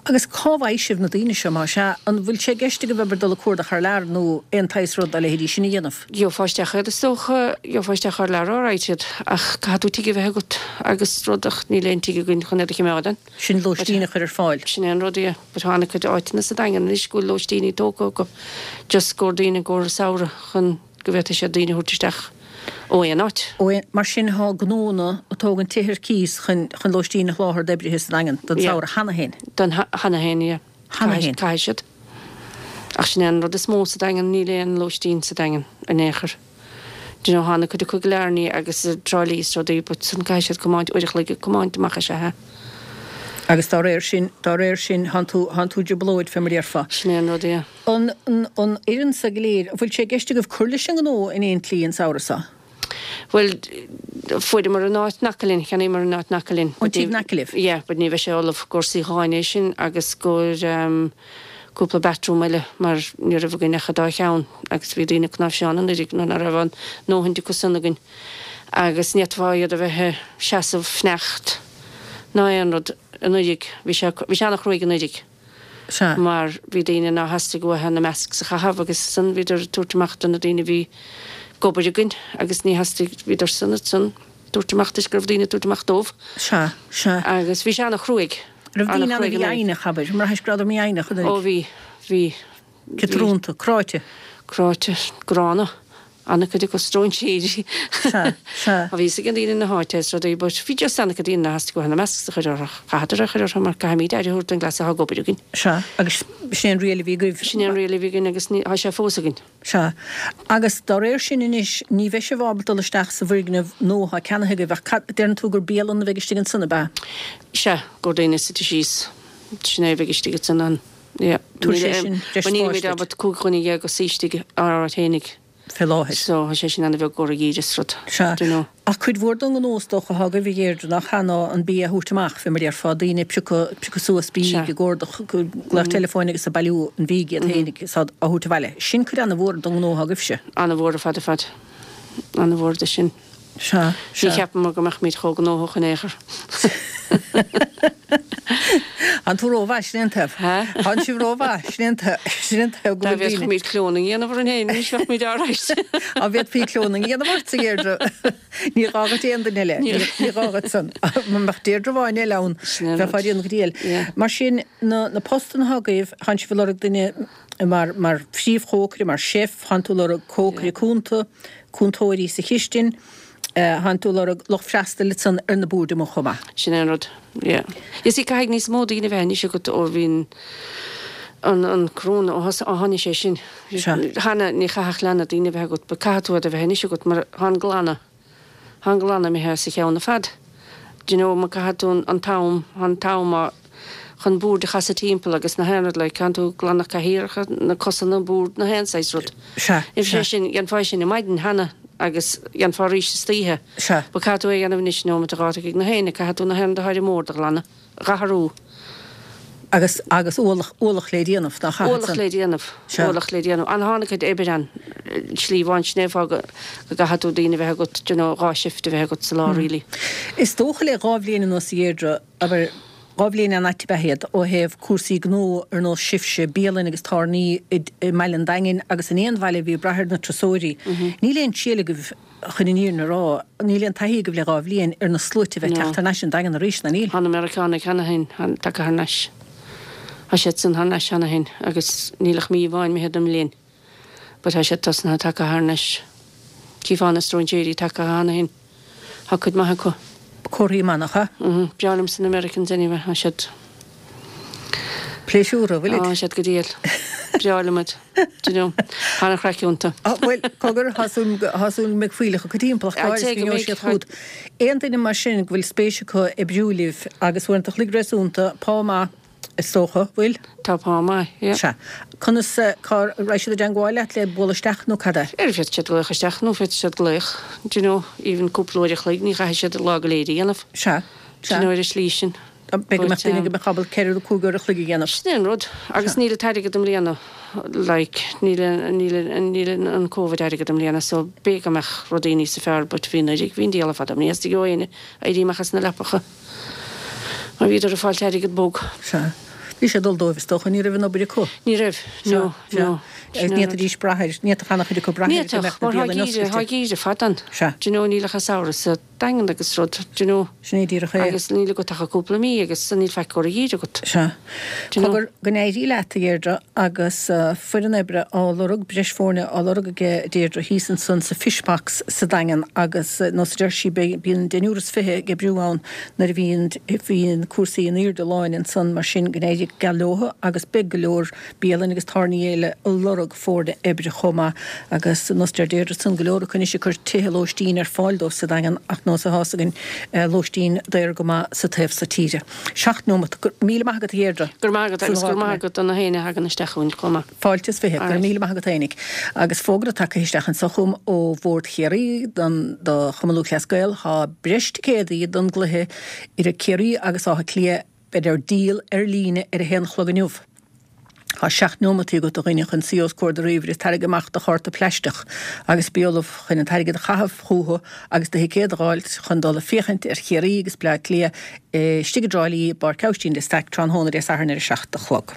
Agus cá bhfaighidh sibh na daoine seo, más ea? An bhfuil sé i gceist agaibh abair dul ag cuardach thar lear nó aon tsaghas rud dá leithéidí sin a dhéanamh? Gheofá isteach iad is dócha, gheofá isteach thar lear alright iad ach caithfidh tú tigh a bheith agat agus rud ach níl aon tigh againn chun iad a choimeád ann. Sin lóistín a chur ar fáil. Sin é an rud, yeah. But tá an-chuid áiteanna sa Daingean anois go bhfuil lóistíní tógtha acu just gcomhair daoine i gcomhair an samhradh chun go bhféadfaidh siad daoine a thabhairt isteach ó aon áit. Ó aon, mar sin tá gnónna ag tógaint tithe ar cíos chun, chun lóistín a sholáthar d'oibrithe sa Daingean don samhradh cheana féin. Don, cheana féin, yeah. Cheana féin. Caithfidh siad. Ach sin é an rud is mó sa Daingean, níl aon lóistín sa Daingean in aon chor. Do you know, tá an-chuid acu i gCill Airne agus i dTrá Lí is rudaí but san caithfidh siad comáint, uair a chloig ag comáint amach is ea. Agus dá réir sin, dá réir sin, thánn tú, thánn tú i dtrioblóid, fé mar a déarfá. Sin é an rud, yeah. An, an, an fhoireann so go léir, an bhfuil sé i gceist agaibh cur leis an ngnó in aon tslí an samhradh so? Bhuel, fuaireamar an áit in aice linn, cheannaíomar an áit in aice linn. An tigh in aice libh? Yeah, but ní bheidh sé ullamh i gcomhair suíocháin é sin agus i gcomhair ehm cúpla bathroom eile mar ní raibh againn ach an dá cheann agus bhí daoine ag cnáimhseán anuraidh nuair nach raibh a ndóthain acu san againn agus ní fhéadfá iad a bheith ag seasamh fanacht ná aon rud anuraidh. Bhí sé, bhí sé an-chruaidh anuraidh Sea. mar bhí daoine nár theastaigh uathu na masks a chaitheamh agus san bhíodar ag tabhairt amach do na daoine a bhí ag obair againn agus ní theastaigh, bhíodar san ansan ag tabhairt amach toisc go raibh daoine ag tabhairt amach dóibh. Sea, sea. Agus bhí sé an-chruaidh, Raibh daoine ann a an-chruaidh bhí anuraidh. foighneach, abair, an mbraithis go rabhadar mífhoighneach Ó anuraidh? bhí, bhí, bhí. Ciotrúnta, cráite. Cráite, gránna. An-chuid acu stróinséirí. Sea, sea. Bhí fhios ag daoine na háite is rudaí but bhí just an-chuid daoine nár theastaigh uathu na masks a chur orthu. Chaitheadar é a chur orthu mar caithfimid aire a thabhairt don gcleas atá ag obair againn. Sea, agus sin é an riail a bhí agaibh. Sin é an riail a bhí againn agus ní, tá sé fós againn. Sea. Agus dá réir sin anois, ní bheidh sibh ábalta dul isteach sa bhfoirgneamh nua atá ceannaithe agaibh ach cad, deireann tú gur bialann a bheidh istigh ansan, ab ea? Sea, go daoine suite síos. Sin é a bheidh istigh ansan ann. Yeah. Tabharfaidh sé sin deis Níl spáis muid duit. ábalta cúig dhuine dhéag a shuí istigh ár áit fhéinig. Fé láthair. So tá sé sin an-bheag i gcomhair an gheimhridh is rud. Sea. Do you know. Ach cuid mhór den ghnó is dócha atá agaibh a Dheirdre nach ea ná an bia a thabhairt amach, fé mar a déarfá, daoine ag piocadh, piocadh suas bídh, Sea. ag ordach, glaoch teileafóin agus ag bailiú an bhídh iad féinig is á thabhairt abhaile. Sin cuid an-mhór den ghnó atá agaibhse. An-mhór ar fad ar fad. An-mhór de sin. Sea, Ní sea. cheapamar go mbeadh muid chomh gnóthach in aon chor. Tánn tú rómhaith, sin é an taobh. Há? Tánn sibh rómhaith, sin é an taobh, sin é an taobh go Dá bhfuil daoine. bhféadfaimis clóning a dhéanamh orainn féin anois bheadh muid alright. Á bhféadfaí clóning a dhéanamh ort, a Dheirdre. Ní gá dhuit aon duine eile. Ní. Ní gá dhuit san. Má mbeadh Deirdre amháin eile ann, Sin é an bheifeá rud. ag déanamh go diail. Yeah. Mar sin, na, na postanna atá agaibh, tánn sibh ag lorg duine mar, mar phríomhchócaire, mar chef, tánn tú ag lorg cócaire cúnta, cúntóirí sa chistin, Tánn tú ag lorg lucht freastail ansan ar na boird amuigh chomh maith. Sin é an rud, yeah. You see, caithfidh níos mó daoine a bheith anois agat ó bhí an, an corona, ó thos, ó tháinig sé sin. Sea. Cheana ní chaithfeadh leanna daoine a bheith agat, but caithfidh tú iad a bheith anois agat mar tá an glanadh, tá an glanadh imithe as a cheann ar fad. Do you know, mar caithfidh tú an, an t-am, tá an t-am á, chun boird a chasadh timpeall agus na haon rud, like, caithfidh tú glanadh cathaoireacha, na cosa na mbord, na haon saghas rud. Sea, Bhí sé sea. sin, dhéanfá é sin ar maidin cheana agus dhéanfá arís istoíche. Sea. But caithfidh tú é a dhéanamh anois nóiméad a dhá ag na haon, caithfidh tú na haon rud atá ar an mbord a ghlanadh, a athrú. Agus, agus ualach, ualach le déanamh, nach ea? Ualach le déanamh, Sea. ualach le déanamh. An tháinig cuid oibre ann, slí amháin, sin é an fáth go, go gcaithfidh tú daoine a bheith agat, do you know, dhá shift a bheith agat sa lá really. Is dócha le dhá bhliain anuas a Dheirdre, abair, dhá bhliain an-ait ab ea iad ó thaobh cúrsaí gnó ar nós sibhse, bialann agus tábhairní i mbaile an Daingin agus in aon bhaile a bhí ag brath ar na turasóirí. Níl aon triail agaibh, chun an fhírinne a rá, níl aon taithí agaibh le dhá bhliain ar na sluaite a bheith ag teacht thar n-ais an Daingean arís, ná níl? Tá na Meiriceánaigh cheana féin tagtha thar n-ais. Tá siad san thar n-ais cheana féin agus níl ach mí amháin imithe den mbliain. But tá siad tosnaithe tagtha thar n-ais. Chífeá na stróinséirí tagtha cheana féin. Tá cuid maith acu. Comharthaí maith, nach ea? Mhm. Breá liomsa na Americans anyway, tá siad. Pléisiúrtha, bhfuilid? Tá siad go diail. Breá liom iad. Do you know, tá an-chraic iontu. Ah, bhuel, cogar, tá súil tá súil go mbeidh fuílleach acu timpeall ach go háirithe go ngeobhaidh siad chugat. Aon duine mar sin go bhfuil spéis acu oibriú libh agus uaireanta a chloig réasúnta, pá maith, is dócha, bhfuil? Tá pá maith, yeah. Sea. Conas, cá raghaidh siad i dteangmháil leat le bualadh isteach nó cad é? Ar féadfaidh siad glaoch isteach nó féadfaidh siad glaoch, do you know, even cúpla uair a chloig, ní chaithfidh siad lá go léir a dhéanamh. Sea, Do sea. you know, ar an slí sin. B'fhéidir go mbeadh duine But, go mbeadh ábalta ceithre nó cúig uair a chloig a dhéanamh. Sin é an rud. Agus níl an t-airgead i mbliana, like, níl, níl, níl an Covid airgead i mbliana, so b'fhéidir go mbeadh rudaí níos fearr, but bhí anuraidh, bhí an diabhal ar fad, ní theastaigh ó éinne éirí amach as na leapacha. Mar bhíodar ag fáilt airgead bog. Sea. Bhí sé ag dul dóibh is dócha, ní raibh an obair acu. Ní raibh, no, no. Agus ní fhéadfaidís brath air, ní fhéadfadh an-chuid acu brath air go mbeadh na bialanna oscailte. Ní fhéadfadh, mar thá geimhreadh fada ann. Sea. Do you know, níl ach an samhradh sa Daingean agus rud, do you know. Sin é díreach é. Agus níl agat ach cúpla mí agus níl faic ar an gheimhreadh agat. Sea. Do you know. Cogar, go n-éirí leat, a Dheirdre, agus foireann oibre á lorg, breis foirne á lorg aige Deirdre thíos ansan sa Fish Box sa Daingean agus nós a deir sí, bíonn deichniúr is fiche ag oibriú ann nuair a bhíonn bhíonn cúrsaí in airde láin ansan mar sin go n-éirí go geal leotha agus beidh go leor bialann agus tábhairní eile ag lorg foirne oibre chomh maith agus nós a deir Deirdre ansan go leor acu anois ag cur tithe lóistín ar fáil dóibh sa Daingean ach nós atá fhios againn lóistín daor go maith sa taobh so tíre. Seacht nóimeat. Go raibh míle maith agat a Dheirdre. Go raibh maith agat agus go raibh maith agat do na héinne a thagann isteach chugainn chomh maith. Fáilte is fiche. Go raibh míle maith agat fhéinig. Agus fógra tagtha isteach anso chugam ó Bhord Chiarraí don do Chumann Lúthchleas Gael, thá breis ticéadaí don gcluiche idir Ciarraí agus Áth Cliath beidh ar díol ar líne ar a haon a chlog inniu. Tá seacht neomataí agat a dhuine chun suí os comhair do ríomhaire is tarraing amach do chárta plaisteach agus bí ullamh chun an t-airgead a chaitheamh chucu agus do thicéad a dh'fháilt chun dul a féachaint ar Chiarraí agus Bleá Cliath istigh i dTrá Lí i bPáirc Aibhistín de Staic tráthnóna Dé Sathairn ar a seacht a chlog.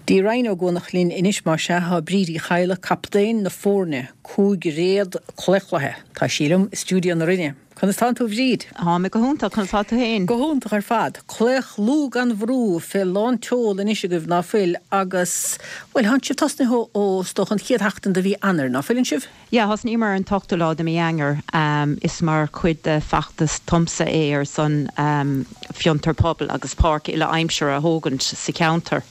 Dtí Rinn Ó gCuanach linn anois más ea thá Bríd Uí Chadhla, captaen na foirne cúigréad claochlaithe. Tá sí liom i stiúideo na Rinne. Conas tánn tú a Bhríd? Tá mé go hiontach, conas tá tú féin? Go hiontach ar fad. Claochlú gan bhrú fé lán tseol anois agaibh, ná fuil? Agus, bhuel, thánn sibh tosnaithe ó, is dócha, an chéad sheachtain de mhí Eanáir, ná fuileann sibh? Yeah, thosnaíomar ar an t-ochtú lá de mhí Eanáir. Is mar chuid de feachtas Tomsa é ar son fiontar pobail agus páirc uile-aimsire a thógaint sa cheantar.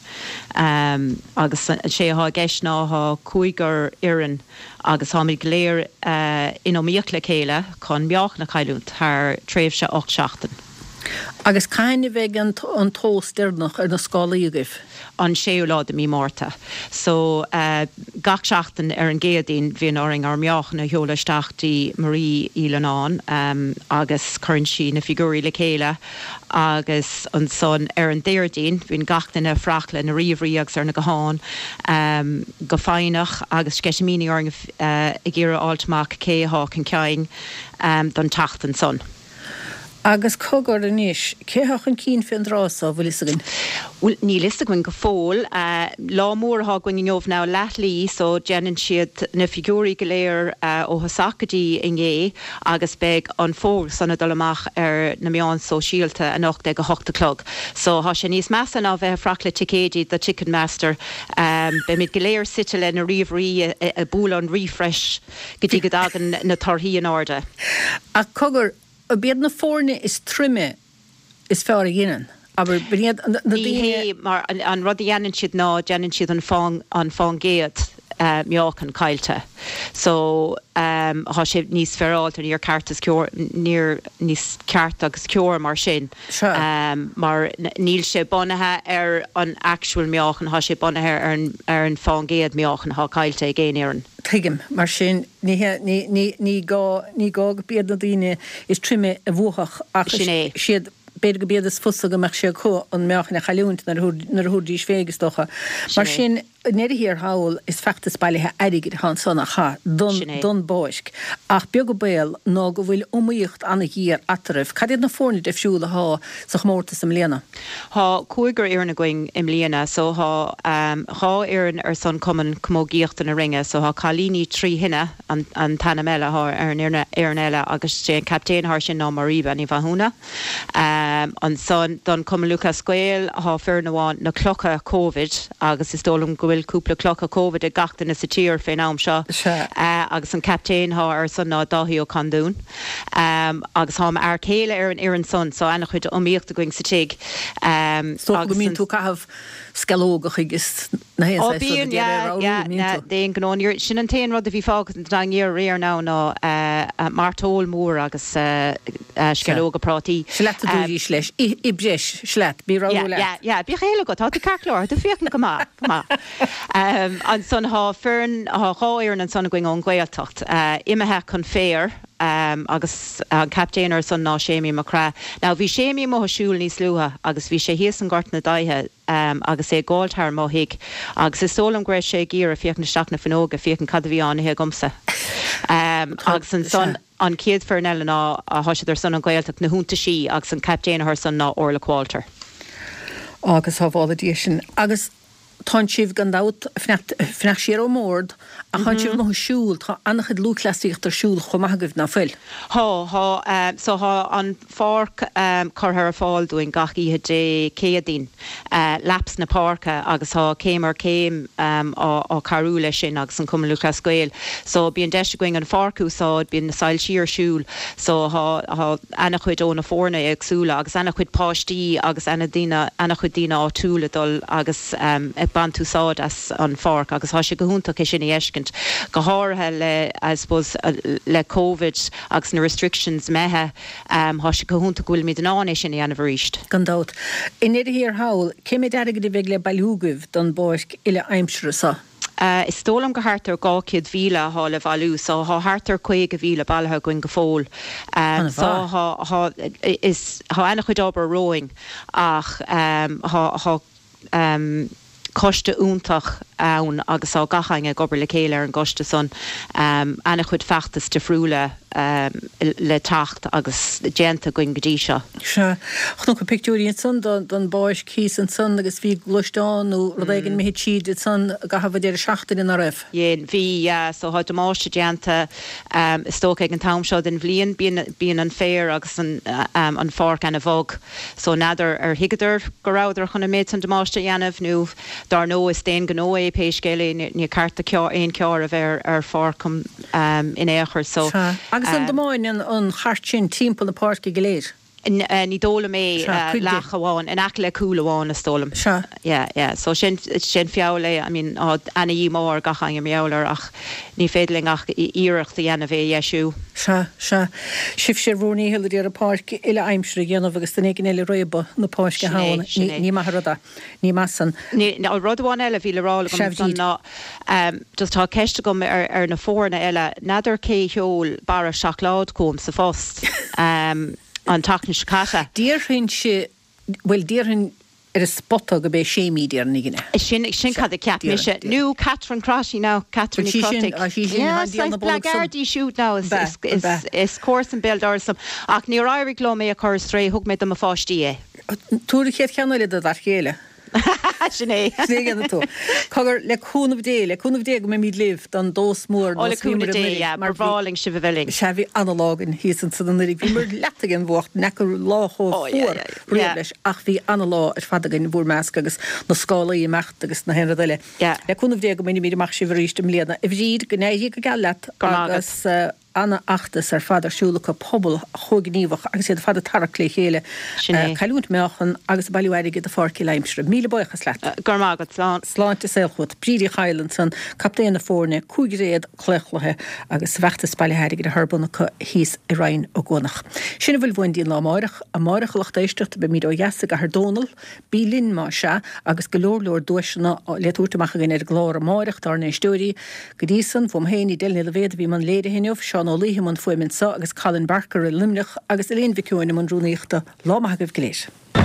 Agus sé atá i gceist ná thá cúigear fhoireann agus táimid go léir in iomaíocht le chéile chun meáchan a chailliúint thar tréimhse ocht seachtain. Agus cathain a bheidh an tomhas deireanach ar na scálaí agaibh? An séú lá de mí Márta. So gach seachtain ar an gCéadaoin bhíonn orainn ár meáchan a sheoladh isteach dtí Marie Uí Leannáin agus cuireann sí na figiúirí le chéile agus ansan ar an Déardaoin bíonn gach duine ag fuireach lena ríomhairí agus ar na gutháin go foighneach agus sceitimíní orainn ag iarraidh a fháilt amach cé athá chun cinn don tseachtain san. Agus cogar anois, cé thá chun cinn fén dtráth so, bhfuil fhios againn? Bhuel, níl fhios againn go fóill. Lá mór athá againn inniu now leath lae so déanann siad na figiúirí go léir ó thosach go dtí inné agus beidh an fógra san ag dul amach ar na meáin sóisialta anocht ag a hocht a chlog. So thá sé níos measa ná bheith ag fuireach le ticéidí do Ticketmaster. Beimid go léir suite le na ríomhairí ag bualadh an refresh go dtí go dtagann na torthaí in airde. Ach cogar, Ab iad na foirne is troime is fearr a dhéanann? Abair, b'in iad na Ní daoine. hé, mar an rud a dhéanann siad ná déanann siad an fán, an fán gcéad meáchan caillte. So, thá sé níos féaráilte, níor ceart is ceor, níor, níos ceart agus ceor mar sin. Sea. Mar níl sé bunaithe ar an actual meáchan, thá sé bunaithe ar an, ar an fán gcéad meáchan athá caillte ag aon fhoireann. Tuigim. Mar sin, ní hé, ní, ní, ní gá, ní gá go b'iad na daoine is troime a bhuafadh ach Sin é. is iad, b'fhéidir go b'iad is fusa go mbeadh sé acu an meáchan a chailliúint nuair a thabhair, nuair a thabharfaidís fé, is dócha. Sin Mar é. sin, i ndeireadh thiar thall, is feachtas bailithe airgid atá ansan, nach ea, don, Sin é. don bpáirc. Ach beag an baol ná go bhfuil iomaíocht an-ghéar eatarthu. Cad iad na foirne difriúla athá sa chomórtas i mbliana? Thá cúigear fhoireann againn i mbliana so thá dhá fhoireann ar son Cumann Camógaíochta na Rinne so thá Cailíní Trí Thine an an t-ainm eile athá ar an fhoireann eile agus sé an captaen athá air sin ná Marie Bean Uí Mhathúna. Ansan don Cumann Lúthchleas Gael thá foireann amháin na Clocha Covid agus is dóigh liom go bhfuil cúpla clocha Covid ag gach duine sa tír fén am seo Sea. agus an captaen athá air san ná Dáithí Ó Conduin. Agus thá m'fhear céile ar an fhoireann san so ana-chuid iomaíocht againn sa tigh. Is dócha go Agus mbíonn an. tú ag caitheamh sceallógacha agus na haon Ó saghas rud a bíonn, d'iarraidh yeah, a ramhrú, yeah, an mbíonn na, tú? d'aon ghnó. Níor, sin an t-aon rud a bhí fágtha den daingean aréir now ná mairteoil mhór agus Sea. sceallóga prátaí. Sea leat a dúraís leis, ith, ith breis, sea leat, bí Yeah, ramhrú leat. yeah, yeah, bíodh a fhios agat, tá tú ceart go leor, tá tú féachaint go maith, go maith. Ansan thá foireann, thá dhá fhoireann ansan againn ón Ghaeltacht, imithe chun féir agus an captaen air san ná Séimí Mac Craith. Now bhí Séimí amuigh ag siúl níos luaithe agus bhí sé thíos in Gort na Daighthe agus é ag gabháil thar mo thigh agus is dóigh liom go raibh sé ag iarraidh féachaint isteach na fuinneoga féachaint cad a bhí á n-ithe agamsa. Agus ansan an chéad foireann eile ná tá siad ar son an Ghaeltacht na hIontaisí agus an captaen ar san ná Orla Qualter. Agus sábhála Dia sinn. Agus tánn sibh gan dabht ag fanacht siar ón mbord ach tánn sibh amuigh ag siúl, tá an-chuid lúthchleasaíocht ar siúl chomh maith agaibh, ná fuil? Thá, thá. So thá an pháirc curtha ar fáil dúinn gach oíche Dé Céadaoin, laps na páirce agus thá Céim ar Chéim á cabhrú leis sin agus an Cumann Lúthchleas Gael. So bíonn deis againn an pháirc a úsáid, bíonn na soilsí ar siúl so thá, thá ana-chuid ó na foirne éagsúla agus ana-chuid páistí agus ana-daoine, ana-chuid daoine áitiúla ag dul agus ag baint úsáid as an pháirc agus thá sé go hiontach é sin a fheiscint, go háirithe le, I suppose, le Covid agus na restrictions imithe, thá sé go hiontach go bhfuilimid in ann é sin a dhéanamh arís. Gan dabht. I ndeireadh thiar thall, cé méid airgid a bheidh le bailiú agaibh don bpáirc uile-aimsire so? Is dóigh liom gur thart ar dhá chéad mhíle athá le bhailiú so thá thart ar caoga mhíle bailithe againn go fóill. So thá, thá, is, thá ana-chuid obair romhainn ach thá, thá coiste iontach ann agus tá gach éinne ag obair le chéile ar an gcoiste san. Ana-chuid feachtas difriúla le teacht agus déanta againn go dtí seo. Sea. Chonac pictiúirí ansan don bpáirc thíos ansan agus bhí gluaisteán nó rud éigin imithe tríd ansan i gcaitheamh an deireadh seachtaine, ná raibh? Dhein. Bhí, yeah. So tá damáiste déanta is dócha ag an t-am seo den bhliain. Bíonn, bíonn an féar agus an, an pháirc ana-bhog. So n'fheadar ar thuigeadar go rabhadar chun an méid san damáiste a dhéanamh nó Dár ndóigh, is d'aon ghnó é pé scéal é, ní ceart do aon charr a bheith ar pháirc in aon chor so. Sea. Agus an dtiomáineann an chairt sin timpeall na páirce go léir? Ní dóigh liom é, Sea, cuid de. leath amháin, in aice le cúl amháin is dóigh liom. Sea. Yeah, yeah. So sin, sin feall é, I mean, tá ana-dhíomá ar gach éinne mar gheall air ach ní féidir linn ach iarracht a dhéanamh é a dheisiú. Sea, sea. Sibhse ar bhur ndícheall ag iarraidh páirc uile-aimsire a dhéanamh agus duine éigin eile ag réabadh na páirce Sin é, ann. sin é. Ní maith an rud é. Ní maith san. Ní, rud amháin eile a bhí le rá agam Sea, ansan Bhríd. ná, just tá ceist agam ar, ar na foirne eile, n'fheadar cé sheol barra seacláid chugam sa phost an tseachtain seo caite. Déarfainnse, bhuel, déarfainn ar an spota go b'é Séimí, déarfainn againne. Sin, sin cad a cheap Déarfainn, mise. déarfainn. Nó Catherine Crotty now, Catherine Bhuel, Ní sí sin, Chrothaigh. ah, sí sin, Yeah, tá díol na saghas bolg san. blackguard í siúd now, is, Ab ea, is, ab is, ea. is comharsan béal dorais dom. Ach níor éirigh liom é a chur strae, thug mé do mo pháistí é. Tabhair an chéad cheann eile do d'fhear céile. Sin é. Sin é a dhéanfaidh tú. Cogar, le cúnamh Dé, le cúnamh Dé go mbeimid libh don dós mór Ó, le nós bhíomar cúnamh Dé, anuraidh yeah, mar ba bhreá linn sibh a bheith linn. Sea, bhí ana-lá againn thíos ansan anuraidh. Bhíomar leata den bhfuacht, n'fheaca lá chomh Ó, yeah, fuar yeah, riamh yeah. leis, ach bhí ana-lá ar fad againn i bhur measc agus na scálaí ag imeacht agus na haon rud eile. Yeah. Le cúnamh Dé go mbainfimid amach sibh arís i mbliana. A Bhríd, go n-éirí go geal leat Go raibh maith agat. agus ana-fheachtas ar fad ar siúl acu, pobal chomh gníomhach agus iad ar fad ag tarrac le chéile, Sin é. ag cailliúint meáchan agus ag bailiú airgid do pháirc uile-aimsire. Míle buíochas leat. Go raibh maith agat. Slán. Sláinte is saol chugat. Bríd Uí Chadhail ansan, captaen na foirne, cúigréad claochlaithe agus a bhfeachtas bailithe airgid ar bun acu thíos i Rinn Ó gCuanach. Sin a bhfuil uainn dtí'n lá amáireach. Amáireach a lucht éisteachta beimid ó dheas i gCathair Dónall. Bí linn más ea agus go leor leor duaiseanna le tabhairt amach againn ar an gclár amáireach dár n-éisteoirí. Go dtí san, uaim féin, Edel Ní Loibhéad a bhí i mbun léirithe inniu, Seán Ó Laoithe i mbun fuaime anso agus Colin Barker i Luimneach agus Elaine Mhic Eoin i mbun rúnaíochta. Lá maith agaibh go léir.